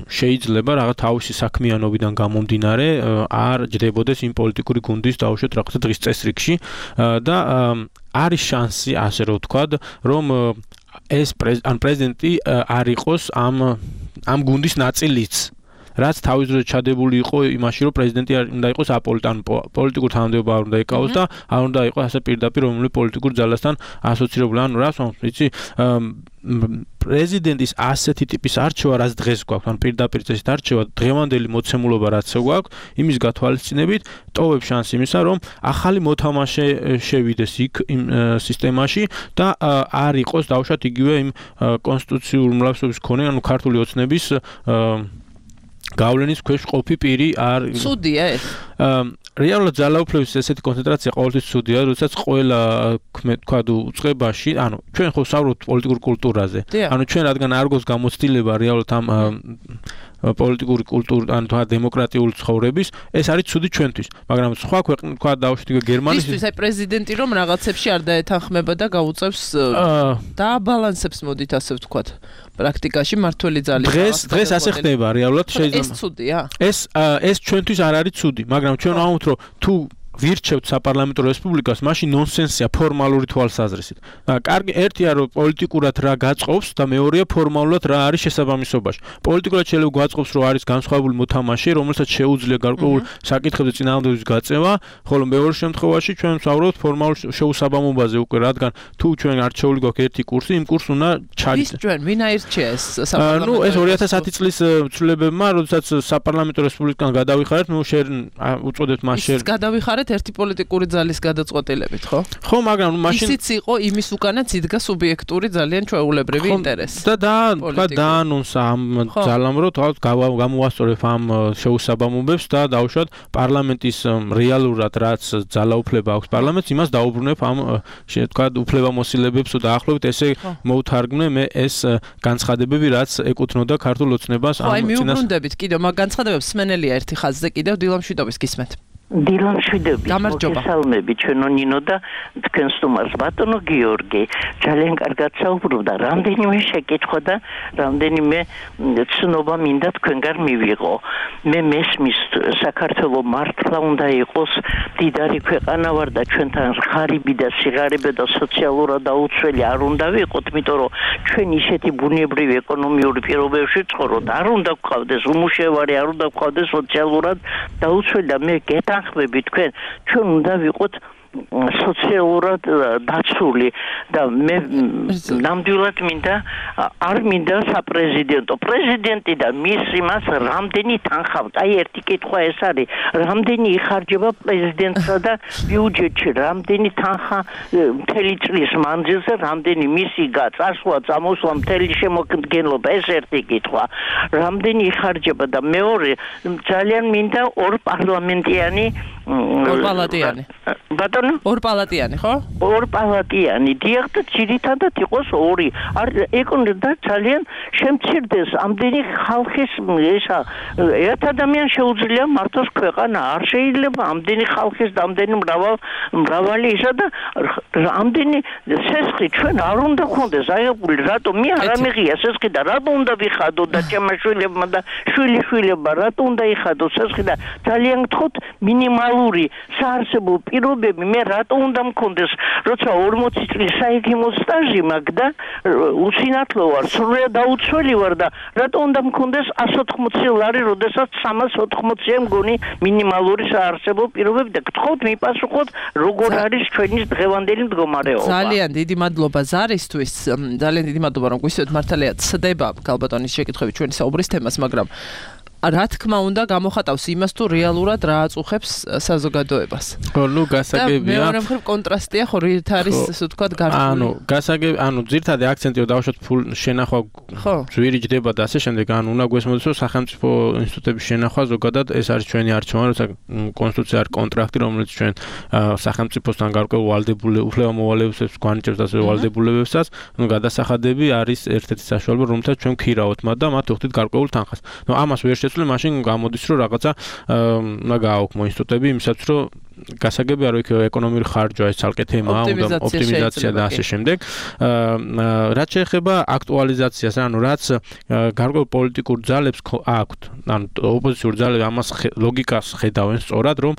შეიძლება რაღაც თავისი საქმიანობიდან გამომდინარე არ ჯდებოდეს იმ პოლიტიკური გუნდის დაუშვათ რაღაცა დღის წესრიგში და არის შანსი, ასე რომ ვთქვათ, რომ ეს პრეზიდენტი არ იყოს ამ გუნდის ნაწილიც. რაც თავის დროზე ჩადებული იყო იმაში, რომ პრეზიდენტი უნდა იყოს პოლიტიკურ თანამდებობა არ უნდა ეკავოს და არ უნდა იყოს ასე პირდაპირ რომელი პოლიტიკურ ძალასთან ასოცირებული. ანუ რას ვამბობ, იცი, პრეზიდენტის ასეთი ტიპის არჩევა, რაც დღეს გვაქვს, ან პირდაპირ წესით არჩევა, დღევანდელი მოცემულობა რაც გვაქვს, იმის გათვალისწინებით ტოვებს შანსი იმისა, რომ ახალი მოთამაშე შევიდეს იქ იმ სისტემაში და არ იყოს დავუშვათ იგივე იმ კონსტიტუციური უმრავლესობის მქონე, ანუ ქართული ოცნების გავლენის ქვეშ ყოფი პირი არ ცუდია ეს. რეალურად ძალაუფლების ესეთი კონცენტრაცია ყოველთვის ცუდია, როდესაც ყველა თქვა უწყებაში, ანუ ჩვენ ხო ვსაუბრობთ პოლიტიკურ კულტურაზე. ანუ ჩვენ რადგან არ გვაქვს გამოცდილება რეალურად ამ პოლიტიკური კულტურა, ან დემოკრატიული ცხოვრების, ეს არის ცუდი ჩვენთვის. მაგრამ სხვა ქვეყნები, თქვა დაუშვათ გერმანიის ისე პრეზიდენტი რომ რაღაცებში არ დაეთანხმება და გაუწევს და აბალანსებს, მოდით ასე ვთქვათ, პრაქტიკაში მართველი ძალის. დღეს ასე ხდება რეალურად, შეიძლება. ეს ცუდია? ეს ჩვენთვის არ არის ცუდი, მაგრამ ჩვენ ვამბობთ, რომ თუ ვირჩევთ საპარლამენტო რესპუბლიკას, მაშინ ნონსენსია ფორმალური თვალსაზრისით. კარგი, ერთია რომ პოლიტიკურად რა გაწყობს და მეორეა ფორმალურად რა არის შესაბამისობაში. პოლიტიკურად შეიძლება გაწყობს, რომ არის განსხვავებული მოთამაშე, რომელსაც შეუძლია გარკვეულ საკითხებზე წინააღმდეგობის გაწევა, ხოლო მეორე შემთხვევაში ჩვენ ვსაუბრობთ ფორმალურ შეუსაბამობაზე უკვე, რადგან თუ ჩვენ არჩეული გვაქვს ერთი კურსი, იმ კურსს უნდა ჩაიდეთ. ჩვენ ვინ აირჩია ეს საპარლამენტო? ეს 2010 წლის ცვლილებებმა, როდესაც საპარლამენტო რესპუბლიკიდან გადავიხარეთ, უწოდებთ მას გადავიხარეთ ერთი პოლიტიკური ძალის გადაწყვეტილებით, ხო? ხო, მაგრამ მაშინ ისიც იყო იმის უკანაც იდგა სუბიექტური ძალიან ჩვეულებრივი ინტერესი. და დაანონსა ამ ძალამ, რომ თქვათ გამოვასწორებ ამ შეუსაბამობებს და დავუშვათ პარლამენტის რეალურად რაც ძალაუფლება აქვს პარლამენტს, იმას დაუბრუნებ ამ თქვათ უფლებამოსილებებს და დაახლოებით ესე მოვთარგმნე მე ეს განცხადებები, რაც ეკუთვნოდა ქართულ ოცნებას ამ წინას. მიუბრუნდებით კიდევ მაგ განცხადებებს სმენელია ერთი ხაზზე კიდევ დილამშვიდობის გისმენთ. დილამშვიდობის მოგესალმები ჩვენო ნინო და თქვენ სტუმარს ბატონო გიორგი ძალიან კარგად საუბრობდა რამდენიმე შეკითხვა და რამდენიმე ცნობა მინდა თქვენგან მივიღო მე მესმის საქართველოს მართლა უნდა იყოს დიდარი ქვეყანა ვარ და ჩვენთან ღარიბი და სიღარიბე და სოციალურად დაუცველი არ უნდა ვიყოთ იმიტომ რომ ჩვენ ისეთი ბუნებრივი ეკონომიური პირობებში ცხოვრობთ არ უნდა გვყავდეს უმუშევარი არ უნდა გვყავდეს სოციალურად დაუცველი და მე გეთანხმები თქვენ ჩვენ უნდა ვიყოთ სოციალურად დაცული და მე ნამდვილად მინდა არ მინდა საპრეზიდენტო პრეზიდენტი და მის იმას რამდენი თანხა აი ერთი კითხვა ეს არის რამდენი იხარჯება პრეზიდენტსა და ბიუჯეტში რამდენი თანხა მთელი წლის მანძილზე რამდენი მისი წასვლა წამოსვლა მთელი შემოგდგენლობა ეს ერთი კითხვა რამდენი იხარჯება და მეორე ძალიან მინდა ორ პარლამენტიანი ბატონო ორპალატიანი ხო? ორპალატიანი დიახ და ძირითადად იყოს ორი არ ეკონდა ძალიან შემცირდეს ამდენი ხალხის ესა ერთ ადამიანს შეუძლია მართოს ქვეყანა არ შეიძლება ამდენი ხალხის და ამდენი მრავალი ისა და ამდენი სესხი ჩვენ არ უნდა გქონდეს აიღებული რატომ მე არ ამიღია სესხი და რატომ უნდა ვიხადო და ჩემაშვილებმა და შვილიშვილებმა რატომ უნდა იხადო სესხი და ძალიან გთხოვთ მინიმალური საარსებო პირობები მე რატომ უნდა მქონდეს როცა 40 წლის საექიმო სტაჟი მაქვს და უსინათლო ვარ სრულიად დაუცველი ვარ და რატომ უნდა მქონდეს 180 ლარი როდესაც 380-ია მგონი მინიმალური საარსებო პირობები და გთხოვთ მიპასუხოთ როგორ არის ჩვენი დღევანდელი მდგომარეობა ძალიან დიდი მადლობა ზარისთვის ძალიან დიდი მადლობა რომ გვისვით მართალია ცდება გალბატონის შეკითხვები ჩვენი საუბრის თემას მაგრამ რა თქმა უნდა გამოხატავს იმას თუ რეალურად რა აწუხებს საზოგადოებას. ნუ გასაგებია. მეორე მხრივ კონტრასტია ხო რით არის ასე ვთქვათ გართული. ძირთადი აქცენტია დავუშვათ ფულ შენახვა ძვირი ჯდება და ასე შემდეგ უნდა გვესმოდეს რომ სახელმწიფო ინსტიტუტების შენახვა ზოგადად ეს არის ჩვენი არჩევანი როცა კონსტიტუცია არის კონტრაქტი რომელიც ჩვენ სახელმწიფოსთან გარკვეულ ვალდებულებას უფლებამოვალეობებს გვანიჭებს და ასე ვალდებულებებსაც გადასახადები არის ერთ-ერთი საშუალება რომელთაც ჩვენ ვქირავთ მათ და მათ ვხდით გარკვეულ თანხას. ამას ვერ მაშინ გამოდის რომ რაღაცა უნდა გააოქმო ინსტიტუტები იმისაც რომ გასაგებია რომ იქ ეკონომიკური ხარჯვა ეს ცალკე თემაა უნდა ოპტიმიზაცია და ასე შემდეგ რაც შეეხება აქტუალიზაციას ანუ რაც გარკვეულ პოლიტიკურ ძალებს აქვთ ანუ ოპოზიციურ ძალებს ამას ლოგიკას ხედავენ სწორად რომ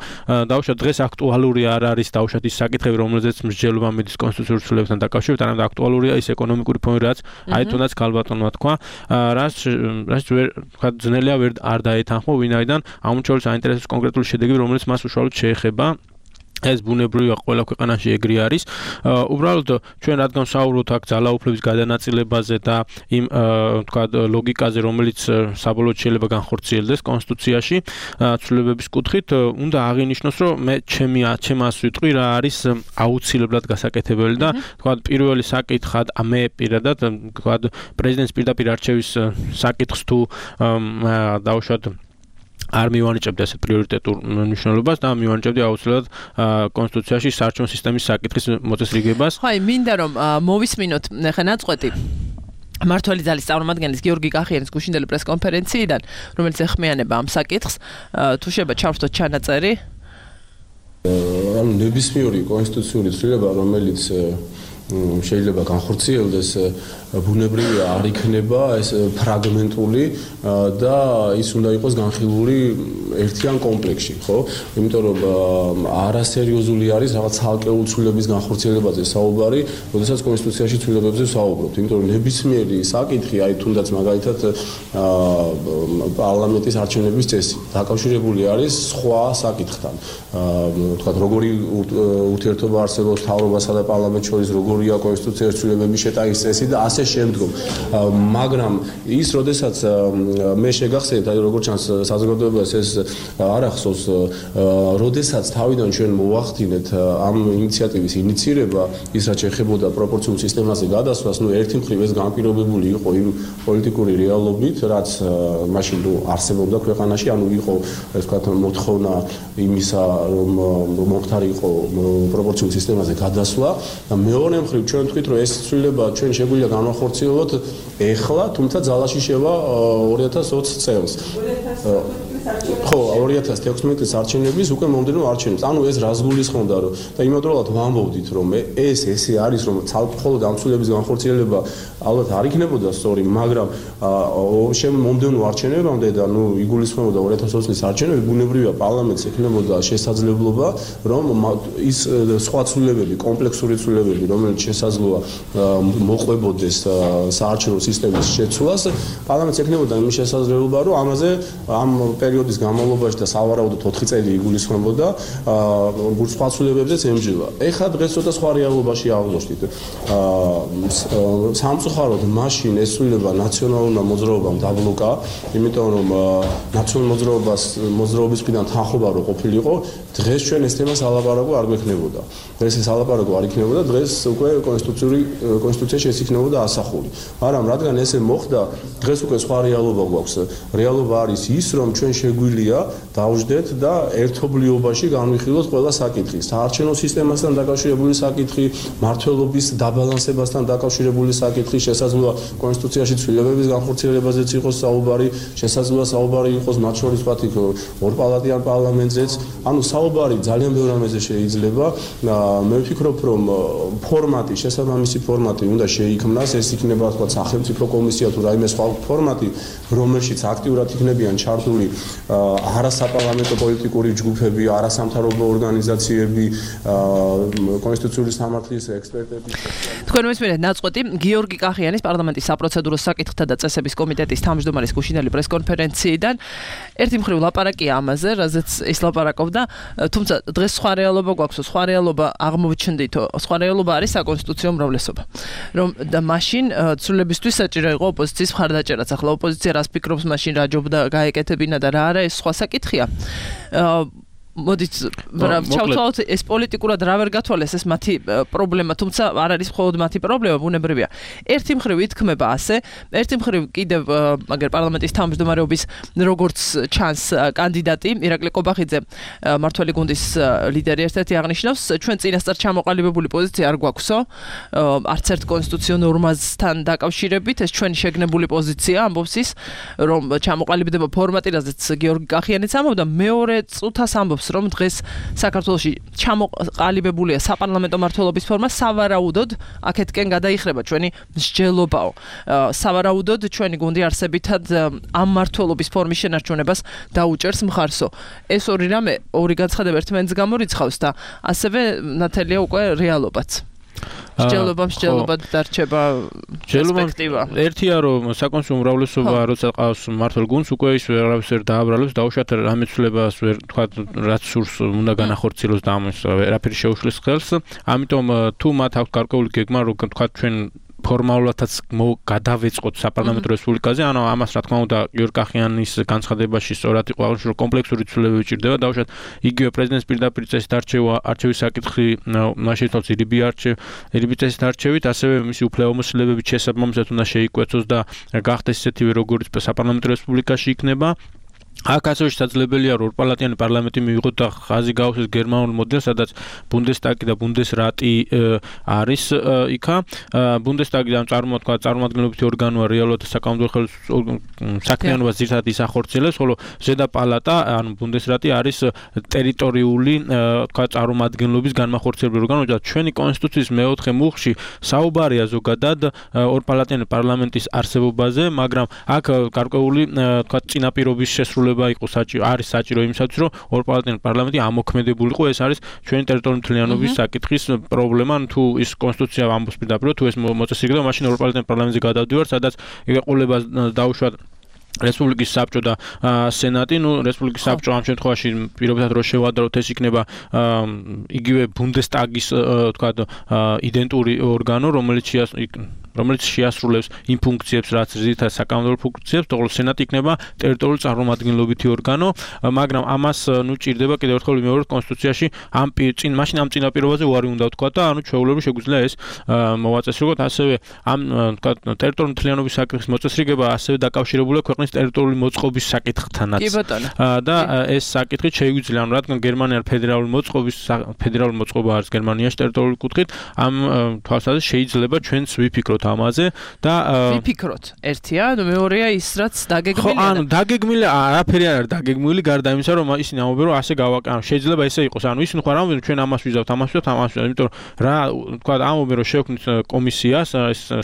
დავუშვათ დღეს აქტუალური არ არის დავუშვათ ის საკითხები რომელზეც მსჯელობა მიდის კონსტიტუციურ ცვლილებებთან დაკავშირებით არამედ აქტუალურია ის ეკონომიკური ფონი რაც აი თუნდაც ქალბატონმა თქვა რაც თქვა ძნელია არ დაეთანხმო ვინაიდან ამუშავებს საინტერესო კონკრეტული შედეგები რომელიც მას უშუალოდ შეეხება ეს ბუნებრივია ყველა ქვეყანაში ეგრე არის. უბრალოდ ჩვენ რადგან ვსაუბრობთ აქ ძალაუფლების გადანაწილებაზე და იმ თქვა ლოგიკაზე რომელიც საბოლოოდ შეიძლება განხორციელდეს კონსტიტუციაში ცვლილებების კუთხით უნდა აღინიშნოს რომ მე ჩემას ვიტყვი რა არის აუცილებლად გასაკეთებელი და თქვა პირველი საკითხად მე პირადად თქვა პრეზიდენტის პირდაპირ არჩევის საკითხს თუ დავუშვათ არ მივანიჭებდი ასეთ პრიორიტეტულ მნიშვნელობას და მივანიჭებდი აუცილებლად კონსტიტუციაში საარჩევნო სისტემის საკითხის მოწესრიგებას. ხო, მინდა რომ მოვისმინოთ ახლა ნაწყვეტი მართველი ძალის წარმომადგენლის გიორგი კახიანის გუშინდელი პრესკონფერენციიდან, რომელიც ეხმიანება ამ საკითხს, თუ შეიძლება ჩავრთოთ ჩანაწერი. ანუ ნებისმიერი კონსტიტუციური ცვლილება, რომელიც შეიძლება განხორციელდეს ბუნებრივი არ იქნება ეს ფრაგმენტული და ის უნდა იყოს განხილული ერთიან კომპლექსში, ხო? იმიტომ რომ არასერიოზული არის რაღაც ცალკეულ ცვლილებების განხორციელებაზე საუბარი, როდესაც კონსტიტუციაში ცვლილებებზე ვსაუბრობთ, იმიტომ რომ ნებისმიერი საკითხი, აი თუნდაც მაგალითად პარლამენტის არჩევნების წესი დაკავშირებული არის სხვა საკითხთან. თქვათ როგორი ურთიერთობა არსებობს მთავრობასა და პარლამენტს შორის, როგორია კონსტიტუციის ცვლილებების შეტანის წესი და ასე შემდგომ. მაგრამ ის როდესაც მე შეგახსენებთ, აი როგორც ჩანს საზოგადოებას ეს არ ახსოვს, როდესაც თავიდან ჩვენ მოვახდინეთ ამ ინიციატივის ინიცირება, ის რაც ეხებოდა პროპორციულ სისტემაზე გადასვლას, ერთი მხრივ ეს განპირობებული იყო იმ პოლიტიკური რეალობით, რაც მაშინ არსებობდა ქვეყანაში, ანუ იყო ეს ვთქვათ მოთხოვნა იმისა, რომ მომხდარიყო პროპორციულ სისტემაზე გადასვლა და მეორე მხრივ ჩვენ ვთქვით, რომ ეს ცვლილება ჩვენ შეგვიძლია განვახორციელოთ ეხლა, თუმცა ძალაში შევა 2020 წელს. ხო, 2016 წლის არჩევნების უკვე მომდევნო არჩევნებს. ანუ ეს რას გულისხმობდა, რომ და იმავდროულად ვამბობდით, რომ ესე არის, რომ მხოლოდ ამ ცვლილების განხორციელება ალბათ არ იქნებოდა სწორი, მაგრამ მომდევნო არჩევნებამდე და იგულისხმებოდა 2020 წლის არჩევნები, ბუნებრივია პარლამენტს ექნებოდა შესაძლებლობა, რომ ის სხვა ცვლილებები, კომპლექსური ცვლილებები, რომელიც შესაძლოა მოყვებოდეს საარჩევნო სისტემის შეცვლას, პარლამენტს ექნებოდა იმის შესაძლებლობა, რომ ამაზე ამ პერიოდის განმავლობაში და სავარაუდოდ 4 წელი იგულისხმებოდა სხვა ცვლილებებზეც ემჯება. ეხლა დღეს ცოტა სხვა რეალობაში აღმოჩნდით. სამწუხაროდ მაშინ ეს ცვლილება ნაციონალურმა მოძრაობამ დაბლოკა, იმიტომ რომ ნაციონალურ მოძრაობის მხრიდან თანხმობა რო ყოფილიყო, დღეს ჩვენ ეს თემას ალაპარაკო არ გვექნებოდა. დღეს ეს ალაპარაკო არ იქნებოდა, დღეს უკვე კონსტიტუციაში ეს იქნებოდა ასახული. მაგრამ რადგან ესე მოხდა, დღეს უკვე სხვა რეალობა გვაქვს. რეალობა არის ის, რომ ჩვენ შეგვიძლია დავждეთ და ერთობლიობაში განვიხილოთ ყველა საკითხი. საარჩევნო სისტემასთან დაკავშირებული საკითხი, მართლობის დაბალანსებასთან დაკავშირებული საკითხი, შესაძლოა კონსტიტუციაში ცვლილებების განხორციელებაზეც იყოს საუბარი, შესაძლოა საუბარი იყოს მათ შორის ვთქვათ ორპალატიან პარლამენტზეც. ანუ საუბარი ძალიან ბევრ რამეზე შეიძლება. მე ვფიქრობ, რომ ფორმატი, შესაბამისი ფორმატი უნდა შეიქმნას, ეს იქნება ვთქვათ სახელმწიფო კომისია თუ რაიმე სხვა ფორმატი, რომელშიც აქტიურად იქნებიან ჩართული არასაპარლამენტო პოლიტიკური ჯგუფები, არასამთავრობო ორგანიზაციები, კონსტიტუციური სამართლის ექსპერტები. თქვენ მესმენთ ნაწყვეტი გიორგი კახიანის პარლამენტის საპროცედურო საკითხთა და წესების კომიტეტის თავმჯდომარის გუშინდელი პრესკონფერენციიდან ერთი მხრივ ლაპარაკია ამაზე, რაზეც ის ლაპარაკობდა, თუმცა დღეს სხვა რეალობა გვაქვს, სხვა რეალობა აღმოჩნდითო, სხვა რეალობა არის საკონსტიტუციო უმრავლესობა. რომ და მაშინ ცვლილებისთვის საჭირო იყო ოპოზიციის მხარდაჭერაც. ახლა ოპოზიცია რას ფიქრობს მაშინ რა ჯობდა გაეკეთებინა და რა არა ეს სხვა საკითხია. მოდით ჩავთვალოთ ეს პოლიტიკურად რა ვერ გათვალეს ეს მათი პრობლემა, თუმცა არ არის მხოლოდ მათი პრობლემა, ბუნებრივია. ერთი მხრივ ითქმება ასე, ერთი მხრივ კიდევ მაგერ პარლამენტის თავმჯდომარეობის როგორც ჩანს კანდიდატი ირაკლი კობახიძე, მართველი გუნდის ლიდერი ერთ-ერთი აღნიშნავს, ჩვენ წინასწარ ჩამოყალიბებული პოზიცია არ გვაქვსო, არც ერთ კონსტიტუციურ ნორმასთან დაკავშირებით, ეს ჩვენი შეგნებული პოზიცია, ამბობს ის, რომ ჩამოყალიბდება ფორმატი, რაზეც გიორგი კახიანიც ამბობდა, მეორე წუთას ამბობს რომ დღეს საქართველოში ჩამოყალიბებულია საპარლამენტო მმართველობის ფორმა, სავარაუდოდ აქეთკენ გადაიხრება ჩვენი მსჯელობაო. სავარაუდოდ ჩვენი გუნდი არსებითად ამ მმართველობის ფორმის შენარჩუნებას დაუჭერს მხარსო. ეს ორი რამე, ორი განცხადება ერთმანეთს გამორიცხავს და ასევე ნათელია უკვე რეალობაც. მსჯელობა დარჩება პერსპექტივა. ერთია რომ საკონსულტო უმრავლესობა როცა ყავს მმართველ გუნდს, უკვე ის ვერავის ვერ დააბრალებს, დაუშვათ რამე ცვლილებას ვერ თქვა რაც სურს უნდა განახორციელოს და ამას ვერაფერი შეუშლის ხელს. ამიტომ თუ მათ აქვს გარკვეული გეგმა რომ თქვა ჩვენ ფორმალურადაც გადავეწყოთ საპარლამენტო რესპუბლიკაზე, ანუ ამას რა თქმა უნდა გიორგი კახიანის განცხადებაში სწორად იყო აღნიშნული, რომ კომპლექსური ცვლილებები ჭირდება, დაუშვათ იგივე პრეზიდენტის პირდაპირ წესით არჩევის საკითხი, მაშინ თავს ირიბი წესით არჩევით, ასევე მისი უფლებამოსილებებით შესაბამისად უნდა შეიკვეცოს და გახდეს ისეთივე როგორც საპარლამენტო რესპუბლიკაში იქნება. აქ ასევე შესაძლებელია რომ ორპალატიანი პარლამენტი მიიღოთ და ხაზი გაუხსნეს გერმანულ მოდელს, სადაც ბუნდესტაგი და ბუნდესრატი არის იქა. ბუნდესტაგი და წარმომადგენლობითი ორგანოა რეალურად საკანონმდებლო საქმიანობას ძირითადად ისახორციელებს, ხოლო ზედა პალატა, ანუ ბუნდესრატი არის ტერიტორიული წარმომადგენლობის განმახორციელებელი ორგანო და ჩვენი კონსტიტუციის მეოთხე მუხლში საუბარია ზოგადად ორპალატიანი პარლამენტის არსებობაზე, მაგრამ აქ გარკვეული წინაპირობის შესრულება არის საჭირო იმისათვის, რომ ორპალატიანი პარლამენტი ამოქმედებულიყო. ეს არის ჩვენი ტერიტორიული მთლიანობის საკითხის პრობლემა. თუ ის კონსტიტუცია ამბობს პირდაპირ, თუ ეს მოწესრიგება, მაშინ ორპალატიანი პარლამენტზე გადავდივართ, სადაც ეყოლება დაუშვათ რესპუბლიკის საბჭო და სენატი. რესპუბლიკის საბჭო ამ შემთხვევაში პირობითად რო შევადაროთ, ეს იქნება იგივე ბუნდესტაგის იდენტური ორგანო, რომელიც შეასრულებს იმ ფუნქციებს, რაც ძირითადად საკანონმდებლო ფუნქციებს, თორე სენატი იქნება ტერიტორიული წარმომადგენლობითი ორგანო, მაგრამ ამას ჭირდება კიდევ ერთხელ ვიმეორებთ კონსტიტუციაში მაშინ ამ წინაპირობაზე უარი უნდა ვთქვა და ჩვეულებრივ შეგვიძლია ეს მოვაწესრიგოთ. ასევე ამ ტერიტორიული მთლიანობის საკითხის მოწესრიგება ასევე დაკავშირებულია ქვეყნის ტერიტორიული მოწყობის საკითხთანაც. და ეს საკითხი შეგვიძლია, რადგან გერმანია ფედერალური მოწყობა არის გერმანიაში ტერიტორიული კუთხით, ამ თვალსაზრისით შეიძლება ჩვენც ვიფიქროთ ამაზე და ვიფიქროთ. ერთია, მეორეა ის რაც დაგეგმილია. ანუ დაგეგმილი არაფერი არ არის დაგეგმილი, გარდა იმისა, რომ ისინი ამბობენ, რომ ასე გავაკეთო. შეიძლება ესე იყოს. ანუ ისინი ხო არ ამბობენ, ჩვენ ამას ვიზავთ, იმიტომ რა თქვა ამბობენ, რომ შევქმნით კომისიას,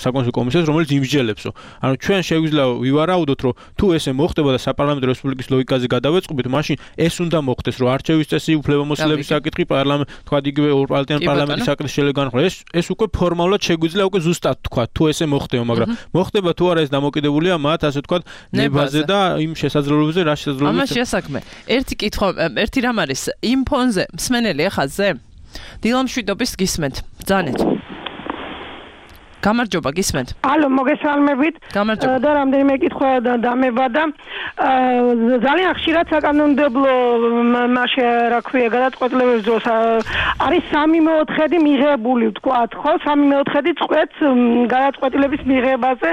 საკონსულტაციო კომისიას, რომელიც იმსჯელებსო. ანუ ჩვენ შეგვიძლია ვივარაუდოთ, რომ თუ ესე მოხდება და საპარლამენტო რესპუბლიკის ლოგიკაზე გადავეწყობით, მაშინ ეს უნდა მოხდეს, რომ არჩევის წესი, უფლებამოსილების საკითხი, თქვა იგივე ორპალატიანი პარლამენტის საკითხის შეიძლება განხილვა. ეს უკვე ფორმალურად შეგვიძლია უკვე ზუსტად თქვა, თუ ესე მოხდება, მაგრამ მოხდება თუ არა ეს დამოკიდებულია მათ, ასე თქვა, ნებაზე და იმ შესაძლებლობებზე, რა შესაძლებლობებზე. ამაში ასაქმე. ერთი კითხვა, ერთი რამ არის იმ ფონზე მსმენელი ახალზე? დილამშვიდობის გისმენთ. ბრძანეთ. გამარჯობა, გისმენთ. ალო, მოგესალმებით. და რამდენიმე კითხვა დამება და ძალიან ხშირად საკანონმდებლო რა ქვია, გადაწყვეტილებების დროს არის 3/4 მიღებული, ვთქვათ, ხო? 3/4 წყვეტს გადაწყვეტილების მიღებაზე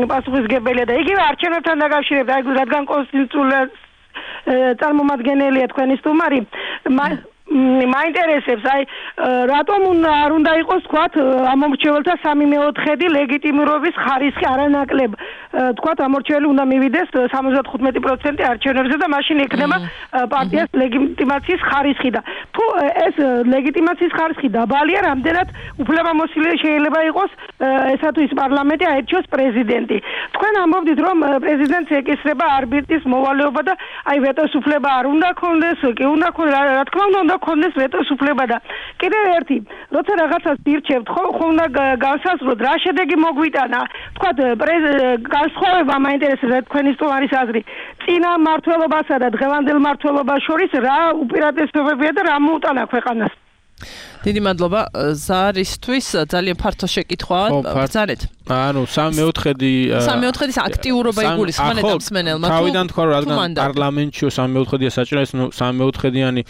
პასუხისმგებელია და იგივე არჩევნებთან დაკავშირებით, რადგან კონსტიტუციური წარმომადგენელია თქვენი სტუმარი, მაინტერესებს, რატომ არ უნდა იყოს, თქვათ, ამორჩეველთა 3/4 ლეგიტიმურობის ხარისხი არანაკლებ. თქვათ, ამორჩეველი უნდა მივიდეს 75% არჩევნებზე და მაშინ ექნება პარტიას ლეგიტიმაციის ხარისხი და თუ ეს ლეგიტიმაციის ხარისხი დაბალია, რამდენად უფლებამოსილი შეიძლება იყოს ესა თუ ის პარლამენტი აერჩიოს პრეზიდენტი. თქვენ ამბობდით, რომ პრეზიდენტს ეკისრება არბიტრის მოვალეობა და ვეტოს უფლება არ უნდა ქონდეს, კი უნდა ქონდეს, რა თქმა უნდა ქონდეს ვეტოს უფლება და კიდევ ერთი, როცა რაღაცას ირჩევთ, ხო უნდა განსაზღვროთ, რა შედეგი მოგვიტანა. თქვათ, განსხვავება მაინტერესებს თქვენი სტუმარის აზრი. წინა მმართველობასა და დღევანდელ მმართველობას შორის რა უპირატესობებია და რა მოუტანა ქვეყანას? დიდი მადლობა ზარისთვის, ძალიან ფართო შეკითხვაა. ბრძანეთ. ანუ 3/4 აქტიურობა იგულისხმება მსმენელმა. თავიდან თქვა, რომ რადგან პარლამენტში 3/4 საჭირო, ეს 3/4-იანი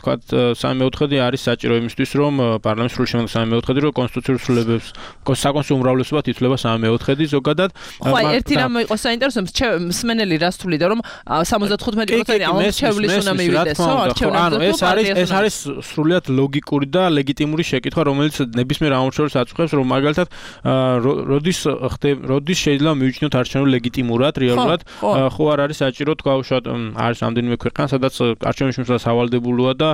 თქვა 3/4 არის საჭირო იმისთვის, რომ პარლამენტში სრული შემდგომ 3/4 რომ კონსტიტუციურ სრულებებს, საკონსტიტუციო უმრავლესობად ითვლება 3/4 ზოგადად. ხო, ერთი რამ იყო საინტერესო, მსმენელი რას თვლიდა, რომ 75% ამორჩევლის უნდა მივიდეს, ხო, არჩევნებზე. ეს არის სრულიად ლოგიკური და ლეგიტიმური შეკითხვა, რომელიც ნებისმიერ ამორჩეველს აწუხებს, რომ მაგალითად როდის შეიძლება მივიჩნიოთ არჩევნები ლეგიტიმურად, რეალურად, ხო არ არის საჭირო, თქვა უშუალოდ არის რამდენიმე ქვეყანა, სადაც არჩევნების შემოსვლა სავალდებულოა და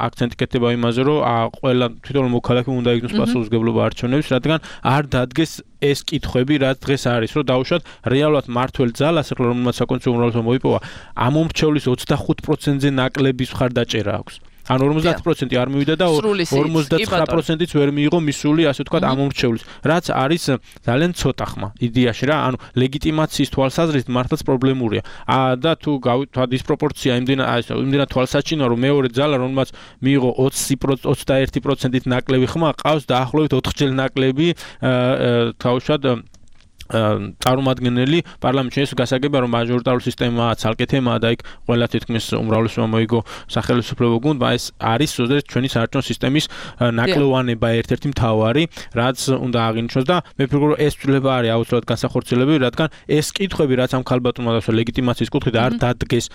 აქცენტი კეთდება იმაზე, რომ ყველა თვითონ მოქალაქე უნდა იგნოს პასუხისმგებლობა არჩევნების, რადგან არ დადგეს ეს კითხვები, რაც დღეს არის, რომ დაუშვათ რეალურად მართველ ძალას, რომელმაც საკონსტიტუციო უმრავლესობა მოიპოვა, ამომრჩევლის 25%-ზე ნაკლების მხარდაჭერა აქვს. ანუ 50% არ მივიდა და 59%-იც ვერ მიიღო მისული, ასე ვთქვათ, ამომრჩევლის, რაც არის ძალიან ცოტა ხმა იდეაში რა, ანუ ლეგიტიმაციის თვალსაზრისით მართლაც პრობლემურია. და თუ გავთვალ დისპროპორცია იმდენად თვალსაჩინოა, რომ მეორე ძალა, რომელმაც მიიღო 21%-ით ნაკლები ხმა, ყავს დაახლოებით 4 ჯერ ნაკლები თავშად წარმომადგენელი პარლამენტში ეს გასაგებია რომ მაჟორიტარული სისტემაა ცალკე თემაა და იქ ყველა თითქმის უმრავლესობა მოიგო სახელმწიფო გუნდმა ეს არის ზოგადად ჩვენი საერთო სისტემის ნაკლოვანება ერთ-ერთი მთავარი რაც უნდა აღინიშნოს და მე ვფიქრობ რომ ეს ცვლილება არის აუცილებლად განსახორციელებელი რადგან ეს კითხვები რაც ამ ქალბატონმა დასვა ლეგიტიმაციის კუთხით არ დადგეს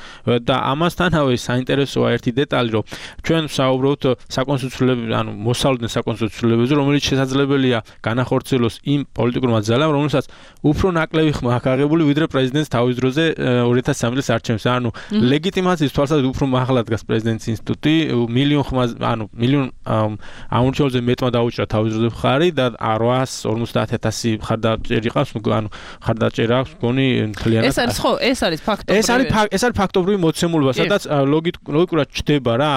და ამასთანავე საინტერესოა ერთი დეტალი რომ ჩვენ ვსაუბრობთ საკონსტიტუციო ანუ მოსავლდნენ საკონსტიტუციოებზე რომელიც შესაძლებელია განახორციელოს იმ პოლიტიკურმა ძალამ რომელსაც უფრო ნაკლები ხმა აქვს აღებული ვიდრე პრეზიდენტს თავის დროზე 2003 წლის არჩევნებში. ანუ ლეგიტიმაციის თვალსაზრისით უფრო მაღლა დგას პრეზიდენტის ინსტიტუტი, მილიონ ხმა, ანუ მილიონ ამორჩეულზე მეტმა დაუჭრა თავის დროზე მხარი და 850,000 ხარდაჭერი ყავს, ანუ ხარდაჭერა აქვს მგონი მთლიანად. ეს არის ხო, ეს არის ფაქტობრივი. ეს არის ფაქტობრივი მოცემულობა, სადაც ლოგიკურად ჩდება რა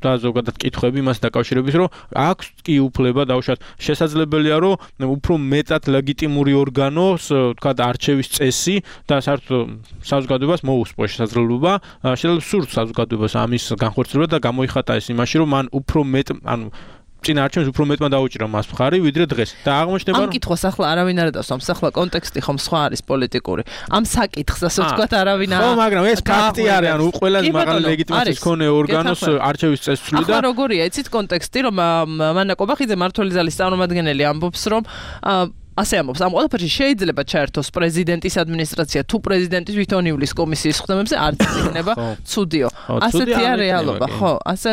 და ზოგადად კითხვები იმას დაკავშირებით, რომ აქვს კი უფლება დაუშვათ შესაძლებელია რომ უფრო მეტად ლეგიტიმური ორგანოს, თქვა არჩევის წესი და საერთოდ საზოგადოებას მოუსწრო შესაძლებლობა, შეიძლება სურთ საზოგადოებას ამის განხორციელება და გამოიხატა ეს იმაში, რომ მან უფრო მეტ, ანუ წინა არჩევნებს უფრო მეტმა დაუჭირა მას მხარი ვიდრე დღეს და აღმოჩნდება რომ ამ კითხვას ახლა არავინ არ დასვამს, ახლა კონტექსტი ხომ სხვა არის პოლიტიკური. ამ საკითხს ასე ვთქვათ არავინ არ. ხო, მაგრამ ეს ფაქტი არის, ანუ ყველაზე მაღალი ლეგიტიმაციის მქონე ორგანოს არჩევის წესს ცვლიდა. ახლა როგორია, იცით კონტექსტი, რომ მანა კობახიძე მართული ზალის წარმომადგენელი ამბობს, რომ ასე ამბობს, ამ ყველაფერში შეიძლება ჩაერთოს პრეზიდენტის ადმინისტრაცია თუ პრეზიდენტის თვითონივლის კომისიის ხდომებზე არც იქნება ცუდიო. ასეთია რეალობა, ხო, ასე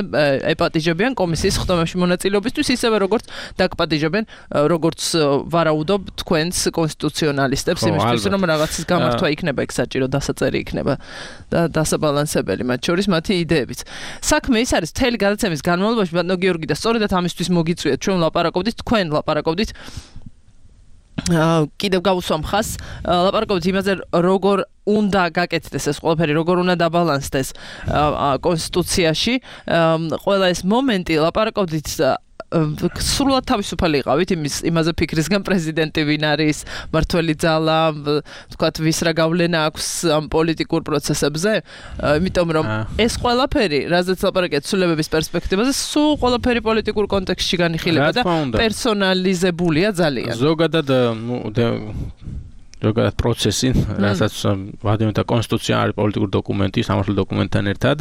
ეპატიჟებიან კომისიის ხდომებში მონაწილეობისთვის, ისევე როგორც დაგპატიჟებენ, როგორც ვარაუდობ თქვენს კონსტიტუციონალისტებს იმისთვის, რომ რაღაცის გამართვა იქნება იქ საჭირო დასაწერი იქნება და დასაბალანსებელი მათ შორის მათი იდეებიც. საქმე ის არის, მთელი გადაცემის განმავლობაში ბატონო გიორგი და სწორედაც ამისთვის მოგიწვიეთ, ჩვენ ლაპარაკობდით, თქვენ ლაპარაკობდით კიდევ გავუსვამ ხას ლაპარაკობთ იმაზე როგორ უნდა გაკეთდეს ეს ყველაფერი როგორ უნდა დაბალანსდეს კონსტიტუციაში ყველა ეს მომენტი ლაპარაკობთ სრულად თავისუფალი იყავით იმაზე ფიქრისგან პრეზიდენტი ვინ არის მართველი ძალა თქვათ ვის რა გავლენა აქვს ამ პოლიტიკურ პროცესებზე იმიტომ რომ ეს ყველაფერი რაზეც ლაპარაკეთ ცვლილებების პერსპექტივაზე სულ ყველაფერი პოლიტიკურ კონტექსტში განიხილება და პერსონალიზებულია ძალიან ზოგადად ზოგადად პროცესი, რასაც ვადიმთა კონსტიტუცია არის პოლიტიკური დოკუმენტი, სამართლის დოკუმენტთან ერთად,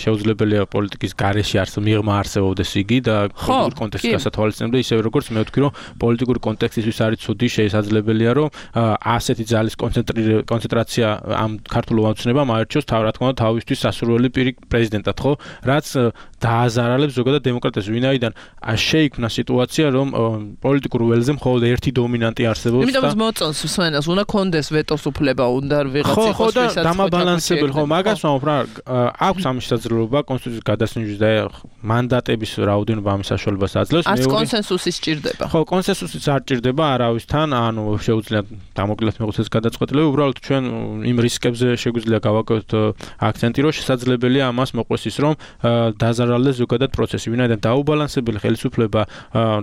შეუძლებელია პოლიტიკის გარეშე მიღმა არსებობდეს იგი და პოლიტიკური კონტექსტის გასათვალისწინებლად, ისევე როგორც მე ვთქვი, რომ პოლიტიკური კონტექსტისთვის არის ცუდი, შესაძლებელია, რომ ასეთი ძალის კონცენტრაცია ამ ქართულ ომაცნებამ აერჩიოს რა თქმა უნდა თავისთვის სასურველი პირი პრეზიდენტად, ხო? რაც დააზარალებს ზოგადად დემოკრატიას, ვინაიდან შეიქმნა სიტუაცია, რომ პოლიტიკურ ველზე მხოლოდ ერთი დომინანტი არსებობს და იმიტომ მოწონს უნდა კონდეს ვეტოს უფლება, უნდა ვიღაც იყოს ვისაც დამაბალანსებელი, ხო, მაგას ვამბობ რა, აქვს ამ შესაძლებლობა კონსტიტუციის გადასინჯვის და მანდატების რაოდენობა ამის საშუალებას აძლევს. არც კონსენსუსი სჭირდება. ხო, კონსენსუსიც არ სჭირდება არავისთან, ანუ შეუძლია დამოკლედ მეუწეს გადაწყვეტილება, უბრალოდ ჩვენ იმ რისკებზე შეგვიძლია გავაკეთოთ აქცენტი, რომ შესაძლებელია ამას მოყვეს ის, რომ დაზარალდეს ზოგადად პროცესი, ვინაიდან დაუბალანსებელი ხელისუფლება,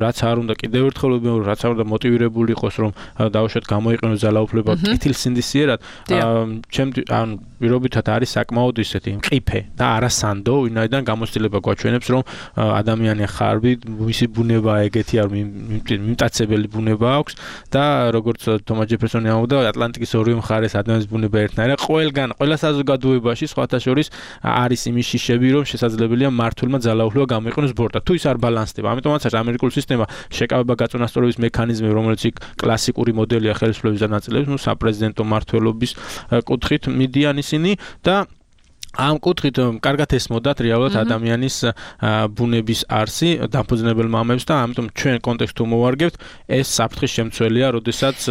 რაც არ უნდა კიდევ ერთხელ რაც არ უნდა მოტივირებული იყოს, რომ დაუშვათ გამოიყენოს ძალაუფლება კეთილსინდისიერად ანუ პირობითად არის საკმაოდ ისეთი მყიფე და არასანდო ვინაიდან გამოცდილება გვაჩვენებს რომ ადამიანი ხარბი მისი ბუნება ეგეთი არ მიმტაცებელი ბუნება აქვს და როგორც თომა ჯეფერსონი ამბობდა ატლანტიკის ორივე მხარეს ადამიანის ბუნება ერთნაირია ყველა საზოგადოებაში სხვათა შორის არის იმის შიშები რომ შესაძლებელია მართულმა ძალაუფლება გამოიყენოს ბორტად თუ ის არ ბალანსდება ამიტომაც ამერიკული სისტემა შეკავება გაწონასწორების მექანიზმი რომელიც იქ კლასიკური მოდელია ხელისუფლების ნაწილებს, ну, საპრეზიდენტო მმართველობის კუთხით მიდიან ისინი და ამ კუთხით კარგად ესმოდათ რეალურად ადამიანის ბუნების არსი დამფუძნებელ მამებს და ამიტომ ჩვენ კონტექსტს მოვარგებთ ეს საფრთხის შემცველია, როდესაც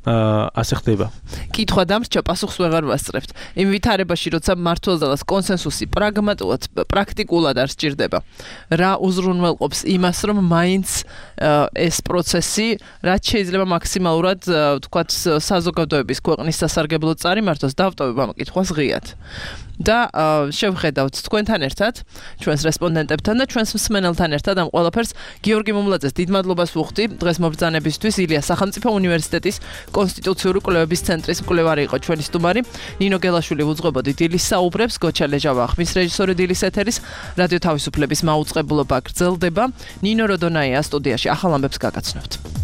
ასე ხდება. კითხვა დამრჩა პასუხს ვეღარ ვასწრებთ. იმ ვითარებაში, როცა მართლზალას კონსენსუსი პრაგმატულად, პრაქტიკულად არ სჭირდება. რა უზრუნველყოფს იმას, რომ მაინც ეს პროცესი, რაც შეიძლება მაქსიმალურად, თქვათ, საზოგადოების ქვეყნის სასარგებლოდ წარიმართოს, დავტოვებ ამ კითხვას ღიად. და შევხედავთ თქვენთან ერთად, ჩვენს რესპონდენტებთან და ჩვენს მსმენელთან ერთად ამ ყველაფერს გიორგი მომლაძეს დიდ მადლობას ვუხდი დღეს მობრძანებისთვის ილია სახელმწიფო უნივერსიტეტის კონსტიტუციური კვლევების ცენტრის მკვლევარი იყო ჩვენი სტუმარი ნინო გელაშვილი უძღვებოდი დილის საუბრებს გოჩა ლეჟავა ხმის რეჟისორი დილის ეთერის რადიო თავისუფლების მაუწყებლობა გრძელდება ნინო როდონაია სტუდიაში ახალ ამბებს გაგაცნობთ